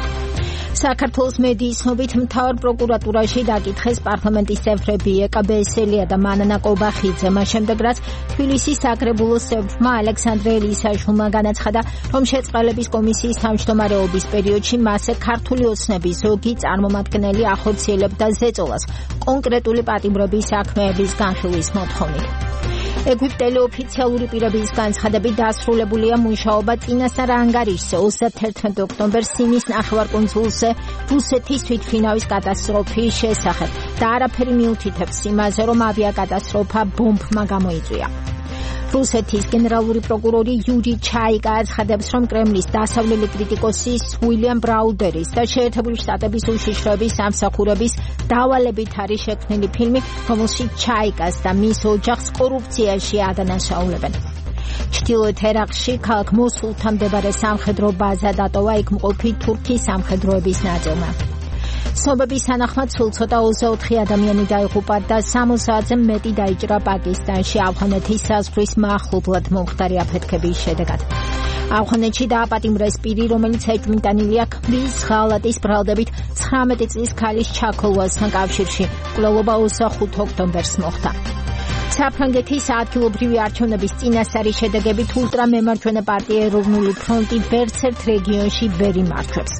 საქართველოს მედიის ცნობით მთავარ პროკურატურაში დაკითხეს პარლამენტის წევრები ეკა ბესელია და მანანა კობახიძე, მას შემდეგ რაც თბილისის საკრებულოს წევრმა ალექსანდრე ელისაშვილმა განაცხადა, რომ შეწყალების კომისიის თავმჯდომარეობის პერიოდში მასზე ქართული ოცნების ზოგი წარმომადგენელი ახორციელებდა ზეწოლას კონკრეტული პატიმრობის საქმეების განხილვის მოთხოვნით. ეგვიპტელი ოფიციალური პირების განცხადებით დასრულებულია მუშაობა წინასწარ ანგარიშზე 31 ოქტომბერს სინის ნახევარკუნძულზე რუსეთის თვითმფრინავის კატასტროფის შესახებ და არაფერი მიუთითებს იმაზე, რომ ავიაკატასტროფა ბომბმა გამოიწვია. რუსეთის გენერალური პროკურორი იური ჩაიკა აცხადებს, რომ კრემლის დასავლელი კრიტიკოსის უილიამ ბრაუდერის და შეერთებული შტატების უშიშროების სამსახურების დავალებით არის შექმნილი ფილმი, რომელშიც ჩაიკას და მის ოჯახს კორუფციაში ადანაშაულებენ. ჩრდილოეთ ერაყში ქალაქ მოსულთან მდებარე სამხედრო ბაზა დატოვა იქ მყოფი თურქის სამხედროების ნაწილმა. ცნობების თანახმად სულ ცოტა 24 ადამიანი დაიღუპა და 60-ზე მეტი დაიჭრა პაკისტანში ავღანეთის საზღვრის მახლობლად მომხდარი აფეთქების შედეგად. ავღანეთში დააპატიმრეს პირი, რომელიც ეჭვმიტანილია ქმრის ღალატის ბრალდებით 19 წლის ქალის ჩაქოლვასთან კავშირში. მკვლელობა 25 ოქტომბერს მოხდა. საფრანგეთის ადგილობრივი არჩევნების წინასწარი შედეგებით ულტრამემარჯვენე პარტია ეროვნული ფრონტი ვერცერთ რეგიონში ვერ იმარჯვებს.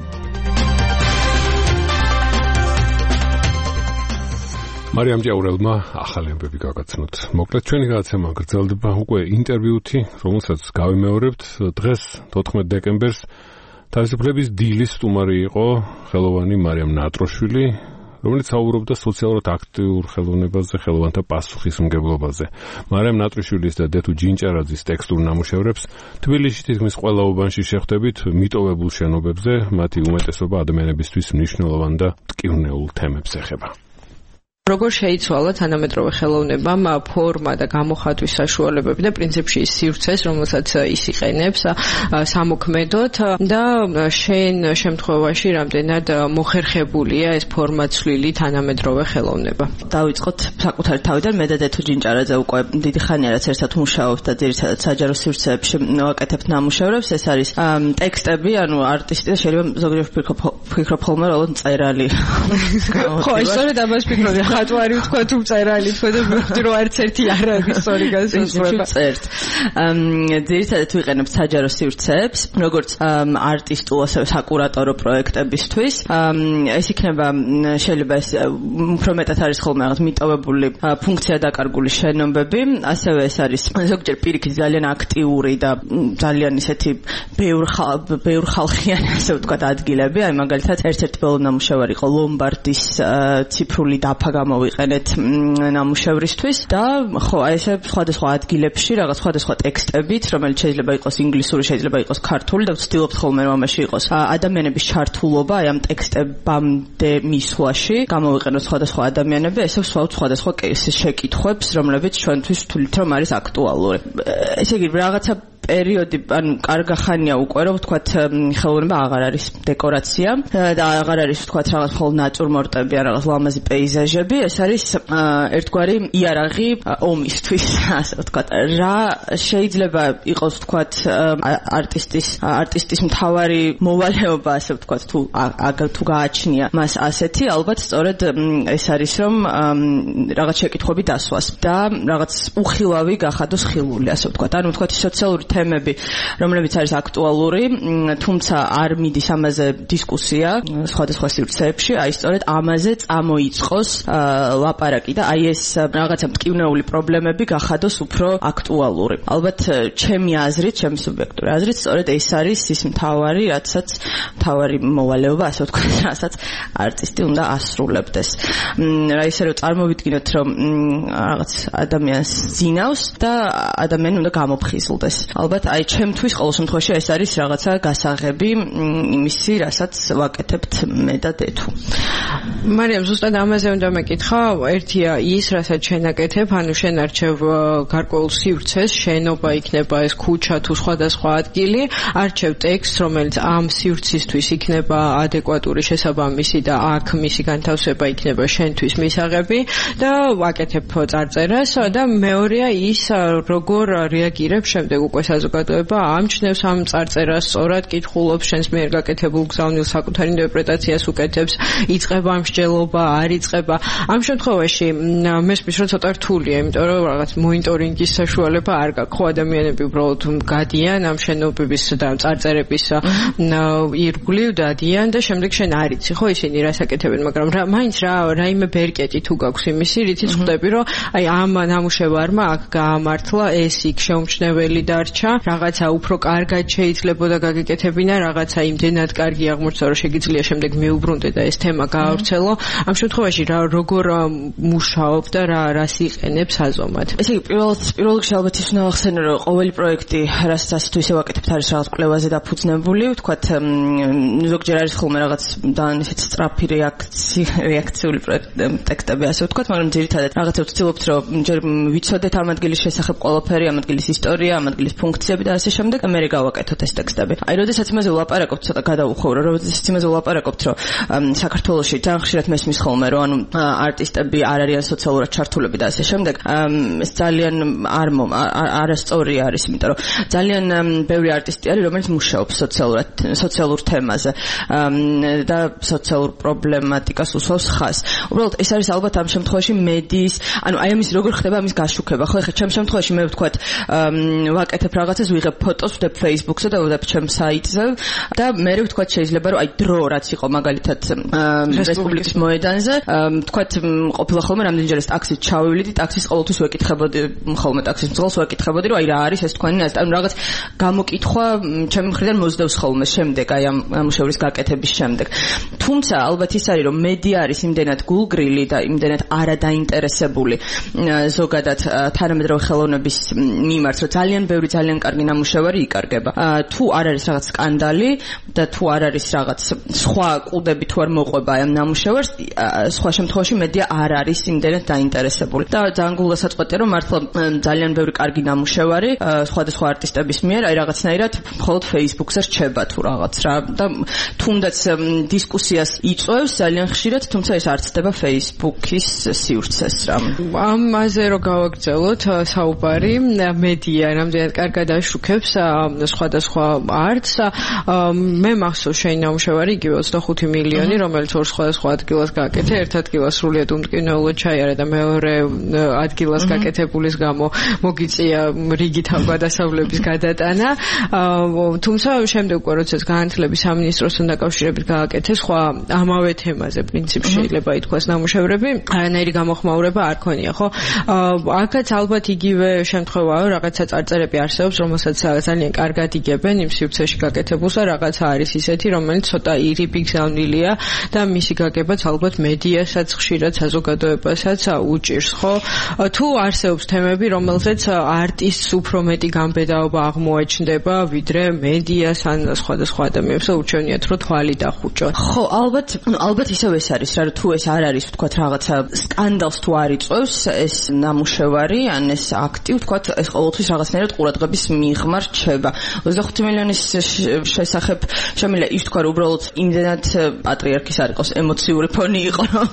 მარიამ ჭიაურელმა ახალი ამბები გაგაცნოთ. მოკლედ ჩვენი გადაცემა გრძელდება უკვე ინტერვიუთი, რომელსაც გავიმეორებთ. დღეს 14 დეკემბერს თავისუფლების დილის სტუმარი იყო ხელოვანი მარიამ ნატროშვილი, რომელიც საუბრობდა სოციალურად აქტიურ ხელოვნებაზე, ხელოვანთა პასუხისმგებლობაზე. მარიამ ნატრიშვილის და დეთუ ჯინჭარაძის ტექსტურ ნამუშევრებს თბილისში თითქმის ყველა უბანში შეხვდებით მიტოვებულ შენობებზე, მათი უმეტესობა ადამიანებისთვის მნიშვნელოვან და მტკივნეულ თემებს ეხება. როგორ შეიცვალა თანამედროვე ხელოვნებამ ფორმა და გამოხატვის საშუალებები და პრინციპში სივრცეს, რომელსაც ის იყენებს სამოქმედოდ და შენ შემთხვევაში რამდენად მოხერხებულია ეს ფორმაცვლილი თანამედროვე ხელოვნება. დავიწყოთ საკუთარი თავიდან, მე და დეთუ ჯინჭარაძე უკვე დიდი ხანია რაც ერთად მუშაობთ და ძირითადად საჯარო სივრცეებში ვაკეთებთ ნამუშევრებს. ეს არის ტექსტები, ანუ არტისტი და შეიძლება ზოგჯერ ვფიქრობ ხოლმე რომ წერალი. ხო, ისწორედ ამას ვფიქრობდი. ხატვარი ვთქვა თუ წერალი ვთქვა და მივხვდი რომ არც ერთი არ არის სწორი განსაზღვრება. წერთ. ძირითადად ვიყენებთ საჯარო სივრცეებს, როგორც არტისტულ ასევე საკურატორო პროექტებისთვის. ეს იქნება შეიძლება ეს უფრო მეტად არის ხოლმე რაღაც მიტოვებული ფუნქცია დაკარგული შენობები, ასევე ეს არის ზოგჯერ პირიქით ძალიან აქტიური და ძალიან ისეთი ბევრ ხალხიანი ასე ვთქვათ ადგილები. აი მაგალითად ერთ-ერთი ბოლო ნამუშევარი იყო ლომბარდის ციფრული დაფა გამოვიყენეთ ნამუშევრისთვის და ხო აი ესე სხვადასხვა ადგილებში რაღაც სხვადასხვა ტექსტებით, რომელიც შეიძლება იყოს ინგლისური, შეიძლება იყოს ქართული და ვცდილობთ ხოლმე რომ ამაში იყოს ადამიანების ჩართულობა აი ამ ტექსტებამდე მისვლაში, გამოვიყენოთ სხვადასხვა ადამიანები, ესე ვსვავთ სხვადასხვა შეკითხვებს, რომლებიც ჩვენთვის ვთვლით რომ არის აქტუალური. ესე იგი რაღაცა პერიოდი, ანუ კარგახანია უკვე, რომ ვთქვათ, ხელოვნება აღარ არის დეკორაცია და აღარ არის ვთქვათ რაღაც მხოლოდ ნატურმორტები, ან რაღაც ლამაზი პეიზაჟები, ეს არის ერთგვარი იარაღი ომისთვის, ასე ვთქვათ. რა შეიძლება იყოს ვთქვათ არტისტის მთავარი მოვალეობა, ასე ვთქვათ, თუ გააჩნია მას ასეთი, ალბათ სწორედ ეს არის, რომ რაღაც შეკითხვები დასვას და რაღაც უხილავი გახადოს ხილული, ასე ვთქვათ. ანუ ვთქვათ სოციალური თემები, რომლებიც არის აქტუალური, თუმცა არ მიდის ამაზე დისკუსია სხვადასხვა სივრცეებში, აი სწორედ ამაზე წამოიწყოს ლაპარაკი და აი ეს რაღაცა მტკივნეული პრობლემები გახადოს უფრო აქტუალური. ალბათ ჩემი აზრით, ჩემი სუბიექტური აზრით, სწორედ ეს არის ის მთავარი, რაცაც მთავარი მოვალეობა, ასე ვთქვათ, რასაც არტისტი უნდა ასრულებდეს. რა ისე რომ წარმოვიდგინოთ, რომ რაღაც ადამიანს ძინავს და ადამიანი უნდა გამოფხიზლდეს. ალბათ აი ჩემთვის ყოველ შემთხვევაში ეს არის რაღაცა გასაღები იმისი, რასაც ვაკეთებთ მე და დეთუ. მარიამ, ზუსტად ამაზე უნდა მეკითხა, ერთია ის, რასაც შენ აკეთებ, ანუ შენ არჩევ გარკვეულ სივრცეს, შენობა იქნება ეს ქუჩა თუ სხვადასხვა ადგილი, არჩევ ტექსტს, რომელიც ამ სივრცისთვის იქნება ადეკვატური, შესაბამისი და აქ მისი განთავსება იქნება შენთვის მისაღები და ვაკეთებ წარწერას და მეორეა ის, როგორ რეაგირებს შემდეგ უკვე საზოგადოება ამჩნევს ამ წარწერას, სწორად კითხულობს შენს მიერ გაკეთებულ გზავნილ საკუთარ ინტერპრეტაციას უკეთებს, იწყება მსჯელობა, არ იწყება. ამ შემთხვევაში მესმის რომ ცოტა რთულია, იმიტომ რომ რაღაც მონიტორინგის საშუალება არ გაქვს. ხო, ადამიანები უბრალოდ გადიან ამ შენობების და წარწერების ირგვლივ დადიან და შემდეგ შენ არ იცი, ხო, ისინი რას აკეთებენ, მაგრამ მაინც რაიმე ბერკეტი თუ გაქვს იმისი, რითიც ხვდები, რომ აი ამ ნამუშევარმა აქ გაამართლა, ეს იქ შეუმჩნეველი დარჩა, რაღაცა უფრო კარგად შეიძლებოდა გაგეკეთებინა, რაღაცა იმდენად კარგი აღმოჩნდა, რომ შეგიძლია შემდეგ მიუბრუნდე და ეს თემა გაავრცელო. ამ შემთხვევაში როგორ მუშაობ და რას იყენებს აზომად? ესე იგი, პირველ რიგში ალბათ ის უნდა ახსენო, რომ ყოველი პროექტი, რასაც თუ ისე ვაკეთებთ, არის რაღაც კვლევაზე დაფუძნებული, ვთქვათ, ზოგჯერ არის ხოლმე რაღაც ისეთ სწრაფი რეაქციული ტექსტები, ასე ვთქვათ, მაგრამ ძირითადად რაღაცა ვცდილობთ, რომ ჯერ ვიცოდეთ ამ ადგილის შესახებ ყველაფერი, ამ ადგილის ისტორია, ამ ადგილის ფუნქციები და ასე შემდეგ, მე გავაკეთოთ ეს ტექსტები. აი, როდესაც იმაზე ვლაპარაკობთ, ცოტა გადავუხოვრო, როდესაც იმაზე ვლაპარაკობთ, რომ საქართველოში ძალიან ხშირად მესმის ხოლმე, რომ ანუ არტისტები არ არიან სოციალურად ჩართულები და ასე შემდეგ, ეს ძალიან არასწორი არის, იმიტომ რომ ძალიან ბევრი არტისტი არის, რომელიც მუშაობს სოციალურ თემაზე და სოციალურ პრობლემატიკას უსვავს ხაზს. უბრალოდ ეს არის ალბათ ამ შემთხვევაში მედიის, ანუ აი ამის როგორ ხდება ამის გაშუქება, ხო? ეხლა ჩემ შემთხვევაში მე ვთქვათ, ვაკეთებ რაღაცას, ვიღებ ფოტოს, ვდებ Facebook-ზე და ვდებ ჩემ საიტზე და მე ვთქვათ შეიძლება რომ აი დრო რაც იყო მაგალითად რესპუბლიკის მოედანზე, ვთქვათ ყოფილა ხოლმე რამდენჯერეს ტაქსით ჩავივლიდი, ტაქსის ყოველთვის ვეკითხებოდი, ხოლმე ტაქსის მძღოლს ვეკითხებოდი, რომ აი რა არის ეს თქვენი აზრი, ანუ რაღაც გამოკითხვა ჩემი მხრიდან მოძდევს ხოლმე შემდეგ აი ამ მუშაობის გაკეთების შემდეგ. თუმცა ალბათ ის არის რომ მედია არის იმდენად გულგრილი და იმდენად არადაინტერესებული ზოგადად თანამედროვე ხელოვნების მიმართ, რომ ძალიან ბევრი ძალიან კარგი ნამუშევარი იკარგება. თუ არ არის რაღაც სკანდალი და თუ არ არის რაღაც სხვა კუდები თუ არ მოყვება ამ ნამუშევარს, სხვა შემთხვევაში მედია არ არის იმდენად დაინტერესებული. და ძალიან გულასაწყვეტია რომ მართლა ძალიან ბევრი კარგი ნამუშევარი სხვადასხვა არტისტების მიერ აი რაღაცნაირად მხოლოდ Facebook-ზე რჩება თუ რაღაც რა და თუნდაც დისკუსიას იწვევს ძალიან ხშირად, თუმცა ეს არ ცდება Facebook-ის სივრცეს რა. ამაზე რომ გავაგრძელოთ საუბარი, მედია რამდენად კარგად აშუქებს სხვადასხვა არტს. მე მახსოვს შენი ნამუშევარი იგივე 25 მილიონი, რომელიც ორ სხვადასხვა ადგილას გააკეთე, ერთ ადგილას სრულიად უმტკივნეულოდ ჩაიარა და მეორე ადგილას გაკეთებულის გამო მოგიწია რიგი თავგადასავლების გადატანა. თუმცა შემდეგ უკვე როდესაც განათლების სამინისტროსთან დაკავშირებით გააკეთე სხვა ამავე თემაზე პრინციპში შეიძლება ითქვას ნამუშევრები, არანაირი გამოხმაურება არ ქონია, ხო? აქაც ალბათ იგივე შემთხვევაა, რაღაცა წარწერები არსებობს, რომელსაც ძალიან კარგად იგებენ იმ სივრცეში გაკეთებულს და რაღაცა არის ისეთი, რომელიც ცოტა ირიბი გზავნილია და მისი გაგებაც ალბათ მედიასაც ხშირად საზოგადოებასაც უჭირს, ხო? თუ არსებობს თემები, რომელზეც არტისტს უფრო მეტი გამბედაობა აღმოაჩნდება, ვიდრე მედიას ან სხვადასხვა ადამიანებს, ურჩევნიათ, რომ თვალი დახუჭოთ. ხო, ალბათ ისევ ეს არის რა, თუ ეს არ არის ვთქვათ რაღაცა სკანდალს თუ არ იწვევს ეს ნამუშევარი ან ეს აქტი ვთქვათ ეს ყოველთვის რაღაცნაირად ყურადღების მიღმა რჩება 25 მილიონის შესახებ შემიძლია ის თქვა რომ უბრალოდ იმდენად პატრიარქის არ იყოს ემოციური ფონი იყო რომ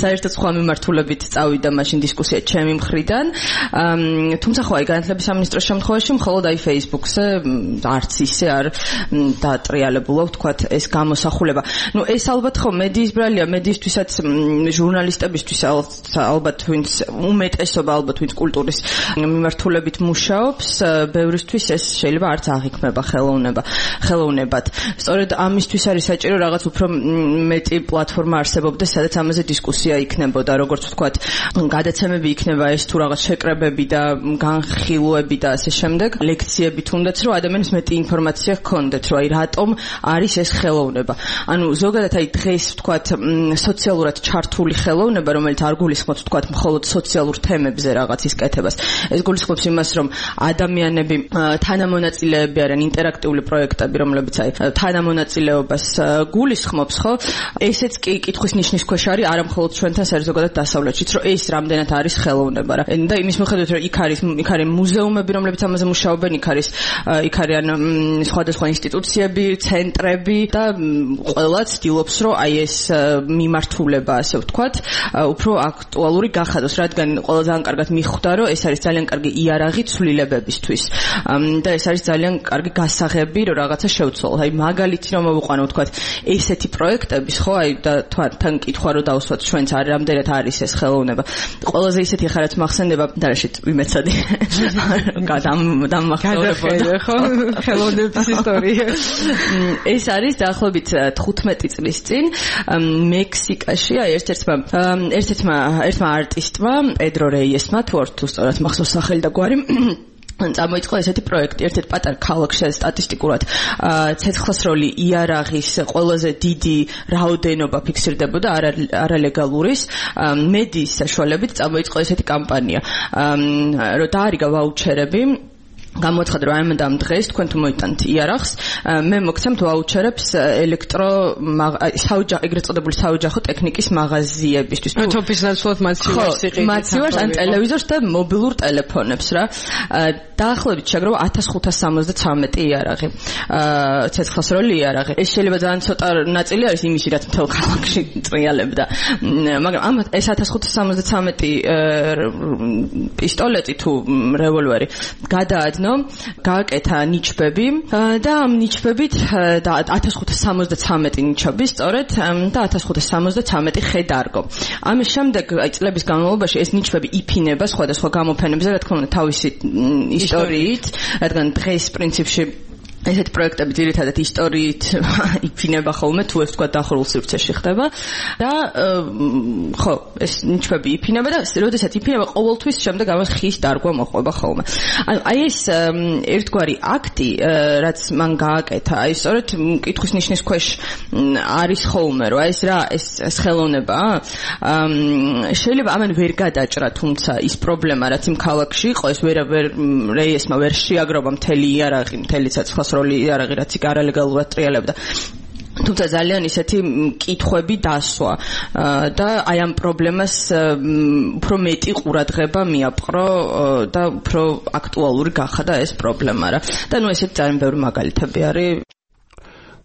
საერთოდ სხვა მიმართულებით წავიდა მაშინ დისკუსია ჩემი მხრიდან თუმცა ხო აი განათლების სამინისტროს შემთხვევაში მხოლოდ აი Facebook-ზე არც ისე არ დაატრიალებულა ვთქვათ ეს გამოსახულება ну ეს ალბათ ხო მედიის ბრალია მედიისთვისაც ჟურნალისტებისთვის ალბათ ვინც უმეტესობა ალბათ ვინც კულტურის მიმართულებით მუშაობს ბევრისთვის ეს შეიძლება არც აღიქმება ხელოვნებად სწორედ ამისთვის არის საჭირო რაღაც უფრო მეტი პლატფორმა არსებობდეს სადაც ამაზე დისკუსია იქნებოდა როგორც ვთქვათ გადაცემები იქნება ეს თუ რაღაც შეკრებები და განხილვები და ასე შემდეგ ლექციები თუნდაც რომ ადამიანს მეტი ინფორმაცია ჰქონდეთ რომ აი რატომ არის ეს ხელოვნება ანუ ზოგადად აი დღეს ვთქვათ სოციალურად ჩართული ხელოვნება რომელიც არ გულისხმობს ვთქვათ მხოლოდ სოციალურ თემებზე რაღაცის კეთებას ეს გულისხმობს იმას რომ ადამიანები თანამონაწილეები არიან ინტერაქტიული პროექტები რომლებიც აი თანამონაწილეობას გულისხმობს ხო ესეც კი კითხვის ნიშნის ქვეშ არის არა მხოლოდ ჩვენთან ზოგადად დასავლეთშიც რომ ეს რამდენად არის ხელოვნება რა და იმის მიხედვით რომ იქ არის მუზეუმები რომლებიც ამაზე მუშაობენ იქ არიან სხვადასხვა ინსტიტუციები ცენტრები და ყველა ცდილობს რომ აი ეს მიმართულება ასე ვთქვათ უფრო აქტუალური გახადოს რადგან ყველა ძალიან კარგად მიხვდა რომ ეს არის ძალიან კარგი იარაღი ცვლილებებისთვის და ეს არის ძალიან კარგი გასაღები რომ რაღაცა შევცვალოთ აი მაგალითი რომ მოვიყვანო ვთქვათ ესეთი პროექტების ხო აი და თან კითხვა რომ დავუსვათ ჩვენც არ რამდენად არის ეს ხელოვნება ყველაზე ისეთი ხარაც მახსენდება და რაშიც ვიმეცადი დამახსოვრებოდა ხო ხელოვნების ისტორია ეს არის დაახლოებით 15 წლის წინ მექსიკაში აი ერთ-ერთმა არტისტმა პედრო რეიესმა თუ სწორად მახსოვს სახელი და გვარი წამოიწყო ესეთი პროექტი ერთ-ერთ პატარ ქალაქში სტატისტიკურად ცეცხლსროლი იარაღის ყველაზე დიდი რაოდენობა ფიქსირდებოდა არალეგალურის მედიის საშუალებით წამოიწყო ესეთი კამპანია რომ დაარიგა ვაუჩერები გამოცხადდა რომ ამ დღეს თქვენ თუ მოიტანთ იარაღს მე მოგცემთ ვაუჩერებს ეგრეთ წოდებული საოჯახო ტექნიკის მაღაზიებისთვის თოფის ნაცვლად მაცივარს ან ტელევიზორს და მობილურ ტელეფონებს რა დაახლოებით შეგროვა 1573 იარაღი ცეცხლსროლი იარაღი ეს შეიძლება ძალიან ცოტა ნაწილი არის იმისი რაც მთელ ქალაქში ტრიალებდა მაგრამ ამ ეს 1573 პისტოლეტი თუ რევოლვერი გადაადნო გააკეთა ნიჩბები და ამ ნიჩბებით და 1573 ნიჩბი სწორედ და 1573 ხე დარგო. ამის შემდეგ წლების განმავლობაში ეს ნიჩბები იფინება სხვადასხვა გამოფენებზე, რა თქმა უნდა, თავისი ისტორიით, რადგან დღეს პრინციპში ესეთ პროექტები ძირითადად ისტორიით იფინება ხოლმე თუ ეს თქვა დახურულ სივრცეში ხდება და ხო ეს ნიჩბები იფინება და როდესაც იფინება ყოველთვის შემდეგ ამას ხის დარგვა მოყვება ხოლმე ანუ აი ეს ერთგვარი აქტი რაც მან გააკეთა აი სწორედ კითხვის ნიშნის ქვეშ არის ხოლმე რომ აი ეს რა ეს ხელოვნება შეიძლება ამან ვერ გადაჭრა თუმცა ის პრობლემა რაც იმ ქალაქში იყო ეს ვერ რეიესმა ვერ შეაგროვა მთელი იარაღი მთელი ცეცხლსროლი იარაღი რაც იქ არალეგალურად ტრიალებდა თუმცა ძალიან ისეთი კითხვები დასვა და აი ამ პრობლემას უფრო მეტი ყურადღება მიაპყრო და უფრო აქტუალური გახადა ეს პრობლემა რა და ნუ ესეთ ძალიან ბევრი მაგალითები არის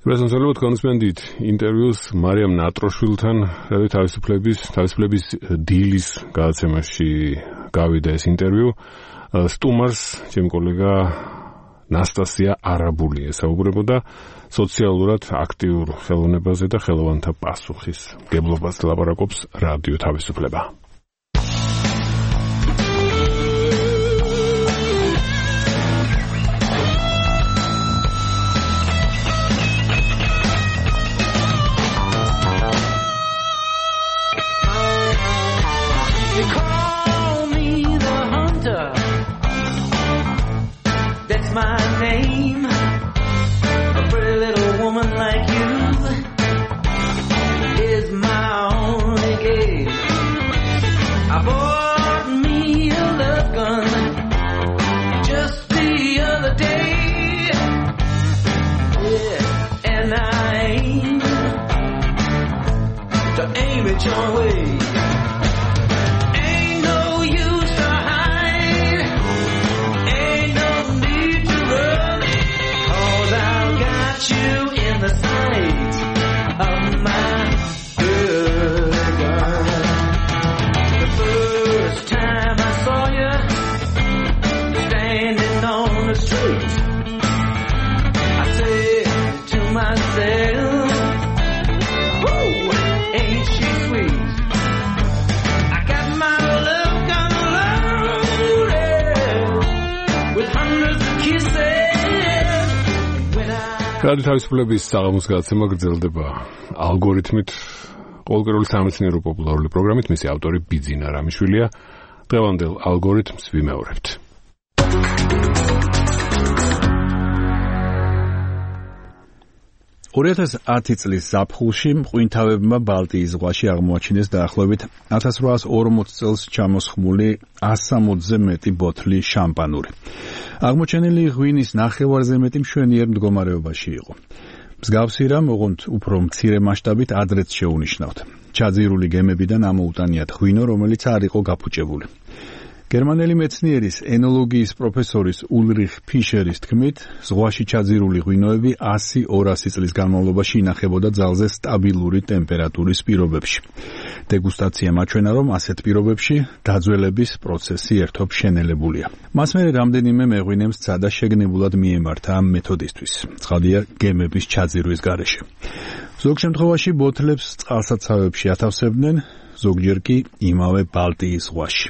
რეზონსალოდ კონსპენდით ინტერვიუს მარიამ ნატროშვილთან რადგან თავისუფლების დილის გადაცემაში გავიდა ეს ინტერვიუ სტუმარს ჩემი კოლეგა ნასტასია არაბული ესაუბრებოდა სოციალურად აქტიურ ხელოვნებაზე და ხელოვანთა პასუხის გებლობას ლაპარაკობს რადიო თავისუფლება. My name, a pretty little woman like you is my only game. to aim it your way. Ain't no use to hide, ain't no need to run, 'cause I've got you in the sight of my good gun. The first time I saw you standing on the street, I said to myself, whoo, ain't she sweet? I got my love gun loaded with hundreds of kisses. რადი თავისუფლების საღამოს გადაცემა გრძელდება ალგორითმით, ყოველკვირეული სამეცნიერო პოპულარული პროგრამით. მისი ავტორი ბიძინა რამიშვილია. დღევანდელ ალგორითმს ვიმეორებთ. 2010 წლის ზაფხულში მყინთავებმა ბალტიის ზღვაში აღმოაჩინეს დაახლოებით 1840 წელს ჩამოსხმული 160-ზე მეტი ბოთლი შამპანური. აღმოჩენილი ღვინის ნახევარზე მეტი მშვენიერ მდგომარეობაში იყო. მსგავსი რამ, ოღონდ უფრო მცირე მასშტაბით ადრეც შეუნიშნავთ. ჩაძირული გემებიდან ამოუტანიათ ღვინო, რომელიც არ იყო გაფუჭებული. გერმანელი მეცნიერის ენოლოგიის პროფესორის ულრიხ ფიშერის თქმით, ზღვაში ჩაძირული ღვინოები 100-200 წლის განმავლობაში ინახებოდა ძალზე სტაბილური ტემპერატურის პირობებში. დეგუსტაცია მაჩვენა, რომ ასეთ პირობებში დაძველების პროცესი ერთობ შენელებულია. მას მერე რამდენიმე მეღვინემ სცადა შეგნებულად მიემართა ამ მეთოდისთვის. ცხადია, გემების ჩაძირვის გარეშე. ზოგ შემთხვევაში ბოთლებს წყალსაცავებში ათავსებდნენ, ზოგჯერ კი იმავე ბალტიის ზღვაში.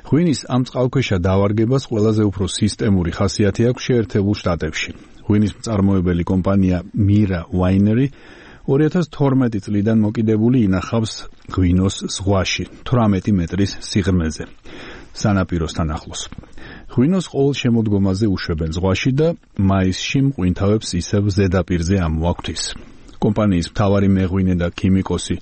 ღვინის ამ წყალქვეშა დავარგებას ყველაზე უფრო სისტემური ხასიათი აქვს შეერთებულ შტატებში. ღვინის მწარმოებელი კომპანია მირა ვაინერი 2012 წლიდან მოკიდებული ინახავს ღვინოს ზღვაში 18 მეტრის სიღრმეზე, სანაპიროსთან ახლოს. ღვინოს ყოველ შემოდგომაზე უშვებენ ზღვაში და მაისში მყინთავებს ისევ ზედაპირზე ამოაქვთ. კომპანიის მთავარი მეღვინე და ქიმიკოსი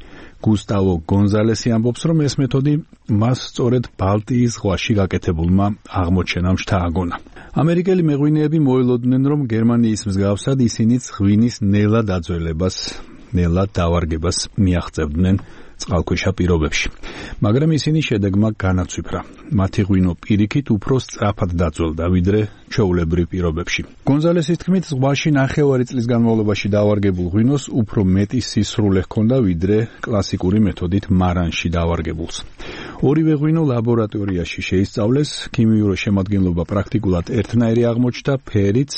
გუსტავო გონზალესი ამბობს, რომ ეს მეთოდი მას სწორედ ბალტიის ზღვაში გაკეთებულმა აღმოჩენამ შთააგონა. ამერიკელი მეღვინეები მოელოდნენ, რომ გერმანიის მსგავსად ისინიც ღვინის ნელა დაძველებას, ნელა დავარგებას მიაღწევდნენ წყალქვეშა პირობებში. მაგრამ ისინი შედეგმა განაცვიფრა. მათი ღვინო პირიქით უფრო სწრაფად დაძველდა, ვიდრე ჩვეულებრივ პირობებში. გონზალესის თქმით, ზღვაში ნახევარი წლის განმავლობაში დავარგებულ ღვინოს უფრო მეტი სისრულე ჰქონდა, ვიდრე კლასიკური მეთოდით მარანში დავარგებულს. ორივე ღვინო ლაბორატორიაში შეისწავლეს, ქიმიური შემადგენლობა პრაქტიკულად ერთნაირი აღმოჩნდა, ფერიც,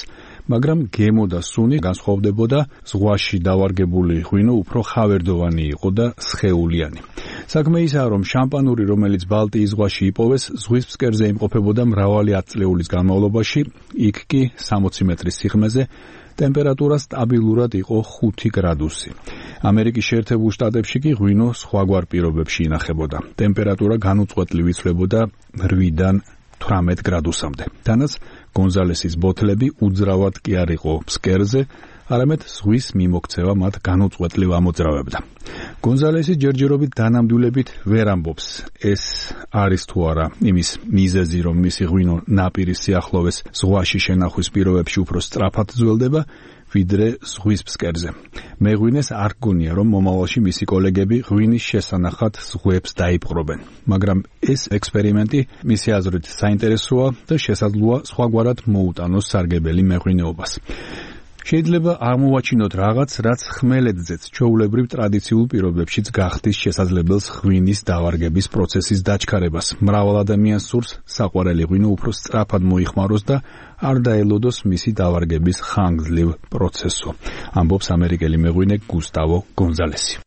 მაგრამ გემო და სუნი განსხვავდებოდა, ზღვაში დავარგებული ღვინო უფრო ხავერდოვანი იყო და სხეულიანი. საქმე ისაა, რომ შამპანური, რომელიც ბალტიის ზღვაში იპოვეს, ზღვის ფსკერზე იმყოფებოდა მრავალი ათწლეულის განმავლობაში, იქ კი 60 მეტრის სიღრმეზე ტემპერატურა სტაბილურად იყო 5 გრადუსი. ამერიკის შეერთებულ შტატებში კი ღვინო სხვაგვარ პირობებში ინახებოდა. ტემპერატურა განუწყვეტლი იცვლებოდა 8-დან 18 გრადუსამდე. თანაც გონზალესის ბოთლები უძრავად კი არ იყო ფსკერზე, არამედ ზღვის მიმოქცევა მათ განუწყვეტლივ ამოძრავებდა. გონზალესი ჯერჯერობით დანამდვილებით ვერ ამბობს, ეს არის თუ არა იმის მიზეზი, რომ მისი ღვინო ნაპირის სიახლოვეს ზღვაში შენახვის პირობებში უფრო სწრაფად ძველდება, ვიდრე ზღვის ფსკერზე. მეღვინეს არ გონია, რომ მომავალში მისი კოლეგები ღვინის შესანახად ზღვებს დაიპყრობენ. მაგრამ ეს ექსპერიმენტი მისი აზრით საინტერესოა და შესაძლოა სხვაგვარად მოუტანოს სარგებელი მეღვინეობას. შეიძლება აღმოვაჩინოთ რაღაც, რაც ხმელეთზეც ჩვეულებრივ ტრადიციულ პირობებშიც გახდის შესაძლებელს ღვინის დავარგების პროცესის დაჩქარებას. მრავალ ადამიანს სურს საყვარელი ღვინო უფრო სწრაფად მოიხმაროს და არ დაელოდოს მისი დავარგების ხანგრძლივ პროცესო. ამბობს ამერიკელი მეღვინე გუსტავო გონზალესი.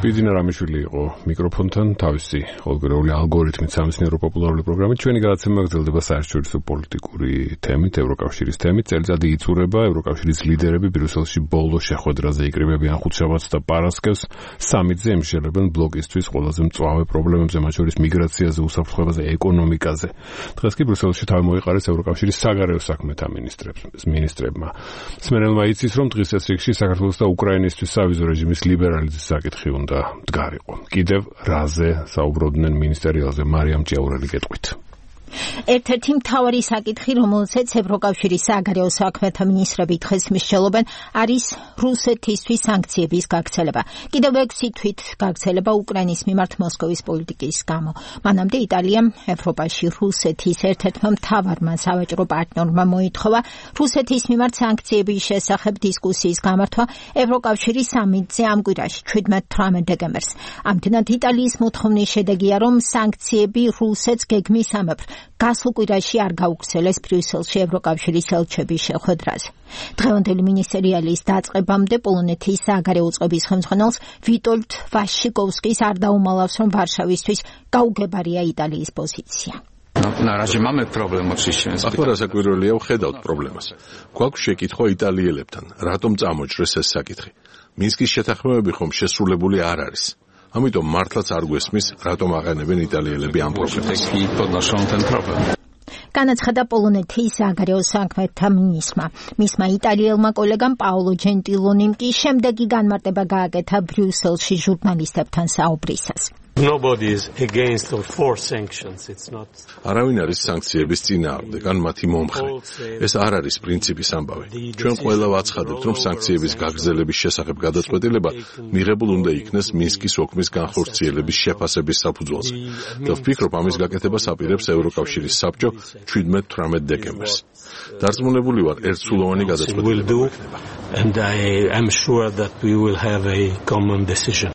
ბიძინა რამიშვილი იყო მიკროფონთან, თავისი ყოველკვირეული ალგორითმით სამეცნიერო პოპულარული პროგრამით. ჩვენი გადაცემა გრძელდება საერთაშორისო პოლიტიკური თემით, ევროკავშირის თემით. წელიწადი იწურება, ევროკავშირის ლიდერები ბრიუსელში ბოლო შეხვედრაზე იკრიბებიან ხუთშაბათს და პარასკევს. სამიტზე ემშელებენ ბლოკისთვის ყველაზე მწვავე პრობლემებზე, მათ შორის მიგრაციაზე, უსაფრთხოებაზე, ეკონომიკაზე. დღეს კი ბრიუსელში თავი მოიყარეს ევროკავშირის საგარეო საქმეთა მინისტრებმა. სმერელმა იცის, რომ დღის ეს რიგში საქართველოს და უკრაინისთვის სავიზო რეჟიმის ლიბერალიზაციის საკითხი უნდა მდგარიყო. კიდევ რაზე საუბრობდნენ მინისტერიალზე მარიამ ჭიაურელი გეტყვით. ერთ-ერთი მთავარი საკითხი, რომელზეც ევროკავშირის საგარეო საქმეთა მინისტრები დღეს მსჯელობენ, არის რუსეთისთვის სანქციების გაქცელება. კიდევ 6 თვით გაქცელება უკრაინის მიმართ მოსკოვის პოლიტიკის გამო. მანამდე იტალიამ ევროპაში რუსეთის ერთ-ერთმა მთავარმა სავაჭრო პარტნიორმა მოითხოვა რუსეთის მიმართ სანქციების შესახებ დისკუსიის გამართვა ევროკავშირის სამიტზე ამ კვირაში 17-18 დეკემბერს. ამდენად იტალიის მოთხოვნის შედეგია, რომ სანქციები რუსეთს გეგმისამებრ გასულ კვირაში არ გაუგრძელეს ბრიუსელში ევროკავშირის ელჩების შეხვედრაზე. დღევანდელი მინისტერიალის დაწყებამდე პოლონეთის საგარეო უწყების ხელმძღვანელს ვიტოლდ ვაშიკოვსკის არ დაუმალავს, რომ ვარშავისთვის გაუგებარია იტალიის პოზიცია. ახლა რასაკვირველია ვხედავთ პრობლემას. გვაქვს შეკითხვა იტალიელებთან, რატომ წამოჭრეს ეს საკითხი. მინსკის შეთანხმებები ხომ შესრულებული არ არის. ამიტომ მართლაც არ გვესმის, რატომ აყენებენ იტალიელები ამ პრობლემას. განაცხადა პოლონეთის საგარეო საქმეთა მინისტრმა. მისმა იტალიელმა კოლეგამ პაოლო ჯენტილონიმ კი შემდეგი განმარტება გააკეთა ბრიუსელში ჟურნალისტებთან საუბრისას. Nobody is against or for sanctions. It's not. არავინ არის სანქციების წინააღმდეგ, ან მათი მომხრე. ეს არ არის პრინციპის ამბავი. ჩვენ ყველა ვაცხადებთ, რომ სანქციების გაგრძელების შესახებ გადაწყვეტილება მიღებულ უნდა იქნეს მინსკის ოქმის განხორციელების შეფასების საფუძველზე. და ვფიქრობ, ამის გაკეთებას აპირებს ევროკავშირის საბჭო 17-18 დეკემბერს. დარწმუნებული ვარ, ერთსულოვანი გადაწყვეტილება იქნება. And I am sure that we will have a common decision.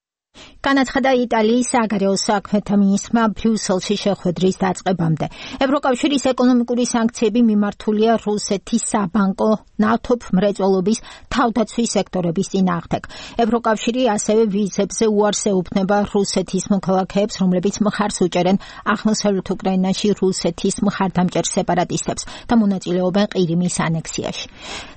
განაცხადა იტალიის საგარეო საქმეთა მინისტრმა ბრიუსელში შეხვედრის დაწყებამდე. ევროკავშირის ეკონომიკური სანქციები მიმართულია რუსეთის საბანკო, ნავთობ მრეწველობის, თავდაცვის სექტორების წინააღმდეგ. ევროკავშირი ასევე ვიზებზე უარს ეუბნება რუსეთის მოქალაქეებს, რომლებიც მხარს უჭერენ აღმოსავლეთ უკრაინაში რუსეთის მხარდამჭერ სეპარატისტებს და მონაწილეობენ ყირიმის ანექსიაში.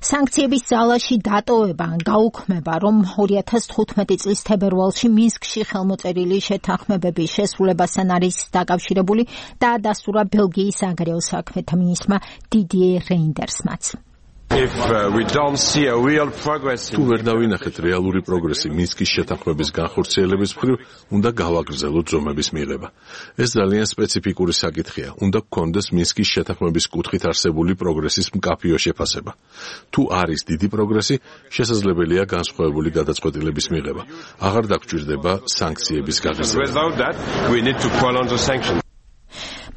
სანქციების ძალაში დატოვება ან გაუქმება, რომ 2015 წლის თებერვალში მინსკში ხელმოწერილი შეთანხმებების შესრულებასთან არის დაკავშირებული და დასტურა ბელგიის საგარეო საქმეთა მინისტრმა დიდიე რეინდერსმაც. თუ ვერ დავინახეთ რეალური პროგრესი მინსკის შეთანხმების განხორციელების მხრივ, უნდა გავაგრძელოთ ზომების მიღება. ეს ძალიან სპეციფიკური საკითხია. უნდა გქონდეს მინსკის შეთანხმების კუთხით არსებული პროგრესის მკაფიო შეფასება. თუ არის დიდი პროგრესი, შესაძლებელია განსხვავებული გადაწყვეტილების მიღება. აღარ დაგჭირდება სანქციების გაგრძელება.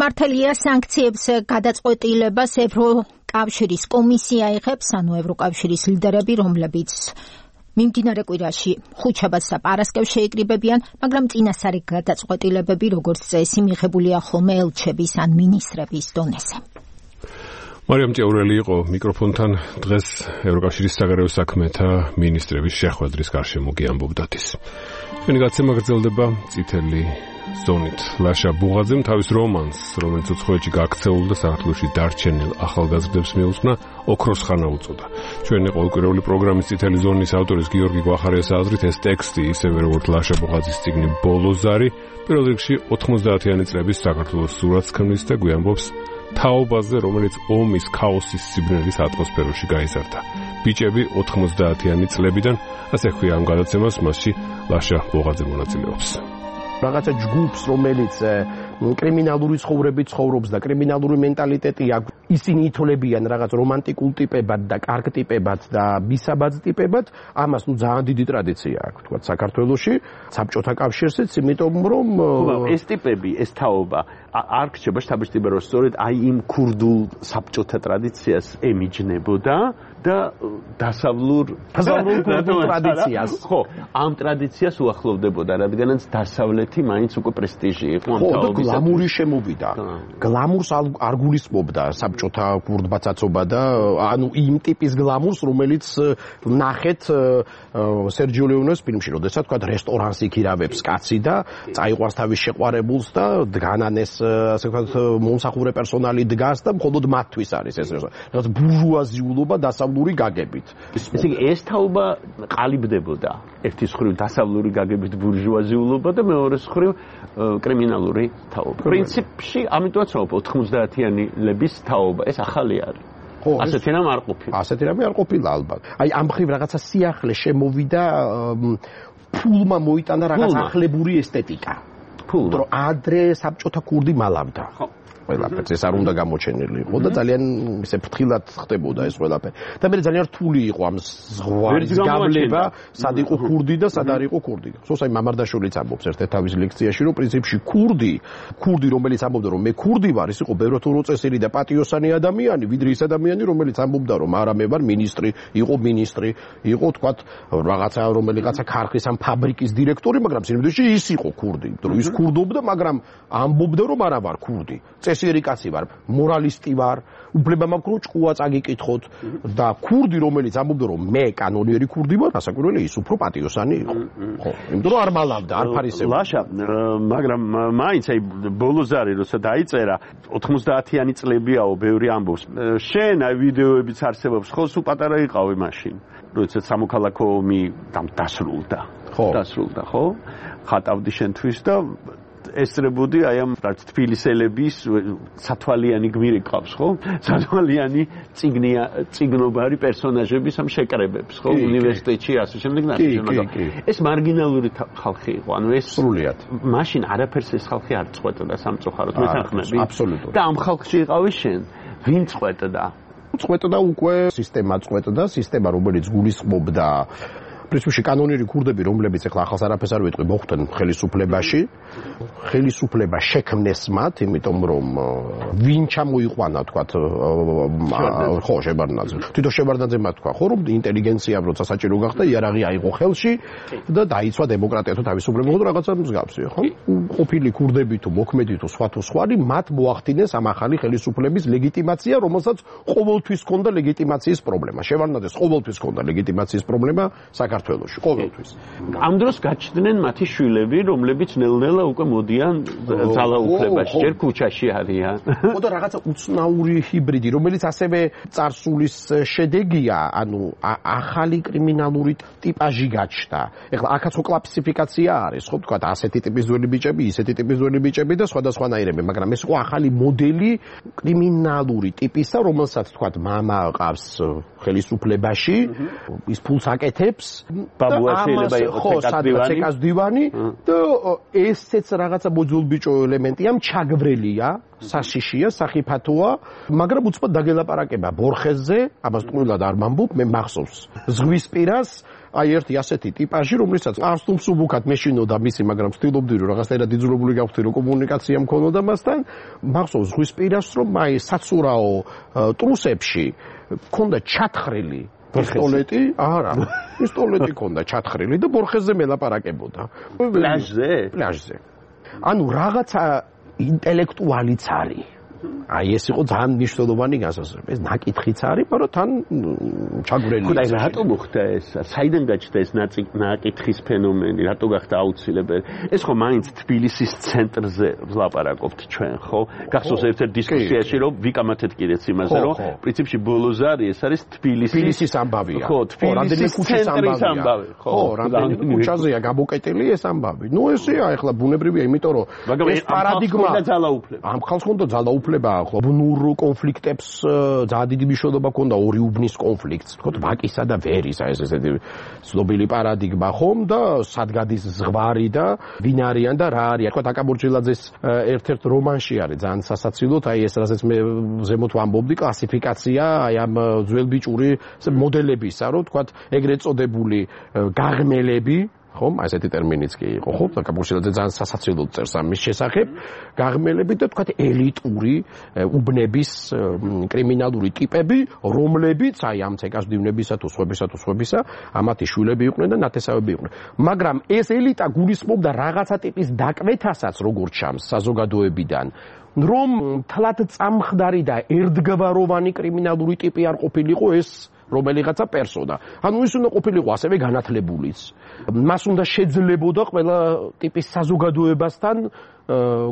მართალია სანქციებს გადაწყვეტილებას ევროკავშირის კომისია იღებს, ანუ ევროკავშირის ლიდერები, რომლებიც მიმდინარე კვირაში ხუთშაბათს და პარასკევს შეიკრიბებიან, მაგრამ წინასწარი გადაწყვეტილებები, როგორც წესი, მიღებულია ხოლმე ელჩების ან მინისტრების დონეზე. მარიამ ჭეურელი იყო მიკროფონთან დღეს ევროკავშირის საგარეო საქმეთა მინისტრების შეხვედრის გარშემო გიამბობდათ ის. ჩვენი გაცემა გრძელდება წითელი ზონით. ლაშა ბუღაძემ თავის რომანს, რომელიც უცხოეთში გაქცეულ და საქართველოში დარჩენილ ახალგაზრდებს მიუძღვნა, ოქროს ხანა უწოდა. ჩვენი ყოველკვირეული პროგრამის წითელი ზონის ავტორის გიორგი გვახარიას აზრით, ეს ტექსტი, ისევე როგორც ლაშა ბუღაძის წიგნი ბოლოზარი, პირველ რიგში 90-იანი წლების საქართველოს სურათს ქმნის და გვიამბობს თაობაზე, რომელიც ომის, ქაოსის, სიბნელის ატმოსფეროში გაიზარდა. ბიჭები 90-იანი წლებიდან, ასე ხვია ამ გადაცემას, მასში ლაშა ბუღაძე მონაწილეობს. რაღაცა ჯგუფს, რომელიც კრიმინალური ცხოვრებით ცხოვრობს და კრიმინალური მენტალიტეტი აქვს, ისინი ითოლებიან რაღაც რომანტიკულ ტიპებად და კარგ ტიპებად და ბისაბად ტიპებად, ამას ძალიან დიდი ტრადიცია აქვს, თქვა საქართველოში, საბჭოთა კავშირშიც, იმიტომ რომ ეს ტიპები, ეს თაობა არ რჩება შთაბეჭდილება, რომ სწორედ აი იმ ქურდულ საბჭოთა ტრადიციას ემიჯნებოდა და დასავლურ ტრადიციას. ხო, ამ ტრადიციას უახლოვდებოდა, რადგანაც დასავლეთი მაინც უკვე პრესტიჟი იყო ამ თაობის. გლამური შემოვიდა. გლამურს არ გულისხმობდა საბჭოთა ქურდბაცაცობა და ანუ იმ ტიპის გლამურს, რომელიც ნახეთ სერჯიო ლეონეს ფილმში, როდესაც თქვა რესტორანს იქირავებს კაცი და წაიყვანს თავის შეყვარებულს და დგანანეს ასე ვთქვათ მომსახურე პერსონალი დგას და მხოლოდ მათთვის არის ეს რაღაც ბურჟუაზიულობა დასავლური გაგებით. ესე იგი ეს თაობა ყალიბდებოდა ერთის მხრივ დასავლური გაგებით ბურჟუაზიულობა და მეორეს მხრივ კრიმინალური თაობა. პრინციპში ამიტომაც რომ 90-იანების თაობა ეს ახალი არის. ასეთი რამ არ ყოფილა. ასეთი რამე არ ყოფილა ალბათ. აი ამ მხრივ რაღაცა სიახლე შემოვიდა, ფულმა მოიტანა რაღაც ახლებური ესთეტიკა. რომ ადრე საბჭოთა ქურდი მალავდა. ყველაფერს ეს არ უნდა გამოჩენილი იყო და ძალიან ისე ფრთხილად ხდებოდა ეს ყველაფერი და მე ძალიან რთული იყო ამ ზღვარის გავლება სად იყო ქურდი და სად არ იყო ქურდი სოსაი მამარდაშვილიც ამბობს ერთ-ერთ თავის ლექციაში რომ პრინციპში ქურდი რომელიც ამბობდა რომ მე ქურდი ვარ ის იყო ბევრად უწესიერი და პატიოსანი ადამიანი ვიდრე ის ადამიანი რომელიც ამბობდა რომ არა მე ვარ მინისტრი იყო თქვათ რაღაცა რომელიღაცა ქარხის ამ ფაბრიკის დირექტორი მაგრამ სინამდვილეში ის იყო ქურდი რომ ის ქურდობდა მაგრამ ამბობდა რომ არა ვარ ქურდი წესიერი კაცი ვარ მორალისტი ვარ უფლება მაქვს რომ ჭკუა წაგიკითხოთ და ქურდი რომელიც ამბობდა რომ მე კანონიერი ქურდი ვარ ასაკვირველია ის უფრო პატიოსანი იყო ხო იმიტომ რომ არ მალავდა არ ფარისებდა ლაშა მაგრამ მაინც აი ბოლოზარი როცა დაიწერა 90-იანი წლებიაო ბევრი ამბობს შენ აი ვიდეოებიც არსებობს ხო სულ პატარა იყავი მაშინ როცა სამოქალაქო ომი დასრულდა ხო ხატავდი შენთვის და ესწრებოდი აი ამ თბილისელების სათვალიანი გმირი ყავს ხო სათვალიანი ციგნობარი პერსონაჟების ამ შეკრებებს ხო უნივერსიტეტში ასე შემდეგ ეს მარგინალური ხალხი იყო ანუ ეს სრულიად მაშინ არაფერს ეს ხალხი არ წყვეტდა სამწუხაროდ მეთანხმები აბსოლუტურად და ამ ხალხში იყავი შენ ვინ წყვეტდა უკვე სისტემა რომელიც გულისხმობდა პრინციპში კანონიერი ქურდები რომლებიც ახლა ახალს არაფერს არ ვიტყვი მოხვდნენ ხელისუფლება შექმნეს მათ იმიტომ რომ ვინ ჩამოიყვანა თქვათ ხო შებარდნაძე თვითონ შებარდნაძე მათ თქვა ხო რომ ინტელიგენციამ როცა საჭირო გახდა იარაღი აიღო ხელში და დაიცვა დემოკრატია თუ თავისუფლება თუ რაღაცა მსგავსი ხო ყოფილი ქურდები თუ მოქმედი თუ სხვა მათ მოახდინეს ამ ახალი ხელისუფლების ლეგიტიმაცია რომელსაც ყოველთვის ჰქონდა ლეგიტიმაციის პრობლემა შევარდნაძეს ყოველთვის ჰქონდა ლეგიტიმაციის პრობლემა საქართველოში ყოველთვის ამ დროს გაჩნდნენ მათი შვილები რომლებიც ნელ-ნელა უკვე მოდიან ძალაუფლებაში ჯერ ქუჩაში არიან ხო და რაღაცა უცნაური ჰიბრიდი რომელიც ასევე წარსულის შედეგია ანუ ახალი კრიმინალური ტიპაჟი გაჩნდა ეხლა აქაც კლასიფიკაცია არის ხო თქვა ასეთი ტიპის ძველი ბიჭები ისეთი ტიპის ძველი ბიჭები და სხვადასხვანაირები მაგრამ ეს იყო ახალი მოდელი კრიმინალური ტიპისა რომელსაც თქვა მამა ყავს ხელისუფლებაში ის ფულს აკეთებს ბაბუაშვილება იყო ცეკას დივანი და ესეც რაღაცა მოძულბიჭო ელემენტია ჩაგვრელია საშიშია სახიფათოა მაგრამ უცბად დაგელაპარაკება ბორხეზზე ამას ტყუილად არ მამბობ მე მახსოვს ზღვისპირას აი ერთი ასეთი ტიპაჟი რომელსაც არც თუ მსუბუქად მეშინოდა მისი მაგრამ ვთილობდი რომ რაღაცნაირად იძულებული გავხდი რომ კომუნიკაცია მქონოდა მასთან მახსოვს ზღვისპირას რომ აი საცურაო ტრუსებში ქონდა ჩათხრილი პისტოლეტი ქონდა ჩათხრილი და ბორხეზზე მელაპარაკებოდა პლაჟზე ანუ რაღაცა ინტელექტუალიც არის აი ეს იყო ძალიან მნიშვნელოვანი განსაზღვრება ეს ნაკითხიც არის მაგრამ თან ჩაგვრელი ხო და რატო მოხდა ეს საიდან გაჩნდა ეს ნაკითხის ფენომენი რატო გახდა აუცილებელი ეს ხო მაინც თბილისის ცენტრზე ვლაპარაკობთ ჩვენ ხო გახსოვს ერთ-ერთ დისკუსიაში რომ ვიკამათეთ კიდეც იმაზე რომ პრინციპში ბოლოზარი ეს არის თბილისის ამბავია ხო თბილისის ცენტრის ამბავი ხო რამდენი ქუჩაზეა გამოკეტილი ეს ამბავი ნუ ესეა ახლა ბუნებრივია იმიტომ რომ ეს პარადიგმა ამ ხალხს უნდა ძალაუფლება ხო ბუნურ კონფლიქტებს ძალიან დიდი მნიშვნელობა ჰქონდა ორი უბნის კონფლიქტს თქო ვაკისა და ვერის აი ესეთი ცნობილი პარადიგმა ხომ და სად გადის ზღვარი და ვინ არიან და რა არის თქო აკაბურჯილაძეს ერთ-ერთ რომანში არის ძალიან სასაცილოდ აი ეს რასაც მე ზემოთ ვამბობდი კლასიფიკაცია აი ამ ძველბიჭური მოდელებისა რომ თქო ეგრეთ წოდებული გაღმელები ხომ ასეთი ტერმინიც კი იყო ხო აკაბურჯილაძე ძალიან სასაცილოდ წერს ამის შესახებ გაღმელები და თქვა ელიტური უბნების კრიმინალური ტიპები რომლებიც აი ამ ცეკასდივნებისა თუ სხვებისა ამათი შვილები იყვნენ და ნათესავები იყვნენ მაგრამ ეს ელიტა გულისხმობდა რაღაცა ტიპის დაკვეთასაც როგორც ჩანს საზოგადოებიდან რომ თლად წამხდარი და ერთგვაროვანი კრიმინალური ტიპი არ ყოფილიყო ეს რომელიღაცა პერსონა. ანუ ის უნდა ყოფილიყო ასევე განათლებულიც. მას უნდა შეძლებოდა ყველა ტიპის საზოგადოებასთან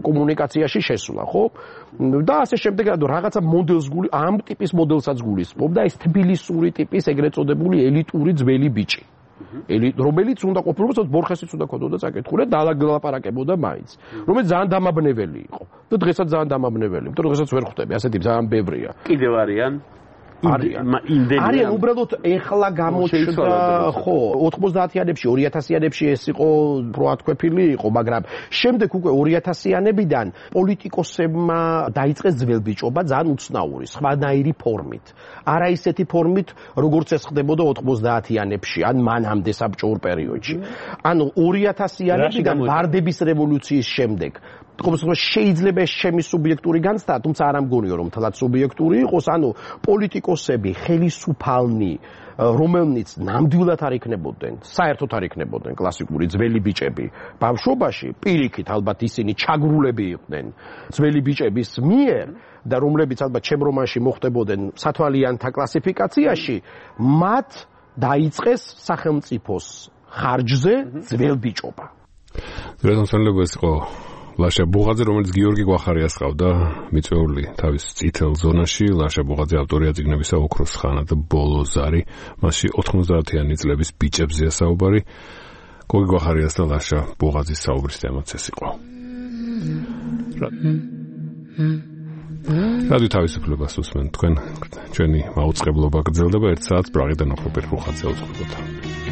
კომუნიკაციაში შესვლა, ხო? და ასე შემდეგ, რაღაცა მოდელს ამ ტიპის მოდელსაც გულისხმობდა ეს თბილისური ტიპის ეგრეთ წოდებული ელიტური ძველი ბიჭი. რომელიც უნდა ყოფილიყო, ბორხესიც უნდა ქონოდა წაკითხული და დალაპარაკებოდა მაინც. რომელიც ძალიან დამაბნეველი იყო. და დღესაც ძალიან დამაბნეველი, იმიტომ რომ დღესაც ვერ ხვდები, ასეთი ძალიან ბევრია. კიდევ არიან არიან უბრალოდ ეხლა გამოჩნდა ხო 90-იანებში 2000-იანებში ეს იყო პროათქვეფილი იყო მაგრამ შემდეგ უკვე 2000-იანებიდან პოლიტიკოსებმა დაიწყეს ძველბიჭობა ძალიან უცნაური სხვანაირი ფორმით არა ისეთი ფორმით როგორც ეს ხდებოდა 90-იანებში ან მანამდე საბჭოურ პერიოდში ანუ 2000-იანებიდან ვარდების რევოლუციის შემდეგ შეიძლება ჩემი სუბიექტური განცდა, თუმცა არ ამგონიო რომ თლაც სუბიექტური იყოს, ანუ პოლიტიკოსები, ხელისუფალნი, რომელნიც ნამდვილად არ იქნებოდნენ, საერთოდ არ იქნებოდნენ კლასიკური ძველი ბიჭები. ბავშვობაში პირიქით ალბათ ისინი ჩაგრულები იყვნენ ძველი ბიჭების მიერ და რომლებიც ალბათ ჩემ რომანში მოხდებოდნენ სათვალიანთა კლასიფიკაციაში, მათ დაიწყეს სახელმწიფოს ხარჯზე ძველბიჭობა. რეზონსანლება ეს იყო ლაშა ბუღაძე, რომელიც გიორგი გვახარიას ყავდა მიწვეული თავის წითელ ზონაში. ლაშა ბუღაძე ავტორია წიგნებისა ოქროს ხანა და ბოლო ზარი. მასში 90-იანი წლების ბიჭებზეა საუბარი. გიორგი გვახარიას და ლაშა ბუღაძის საუბრის თემაც ეს იყო. რადიო თავისუფლებას უსმენთ თქვენ ჩვენი მაუწყებლობა გრძელდება 1 საათს პრაღიდან ოქროპირ ხუხაძე უწყობთ.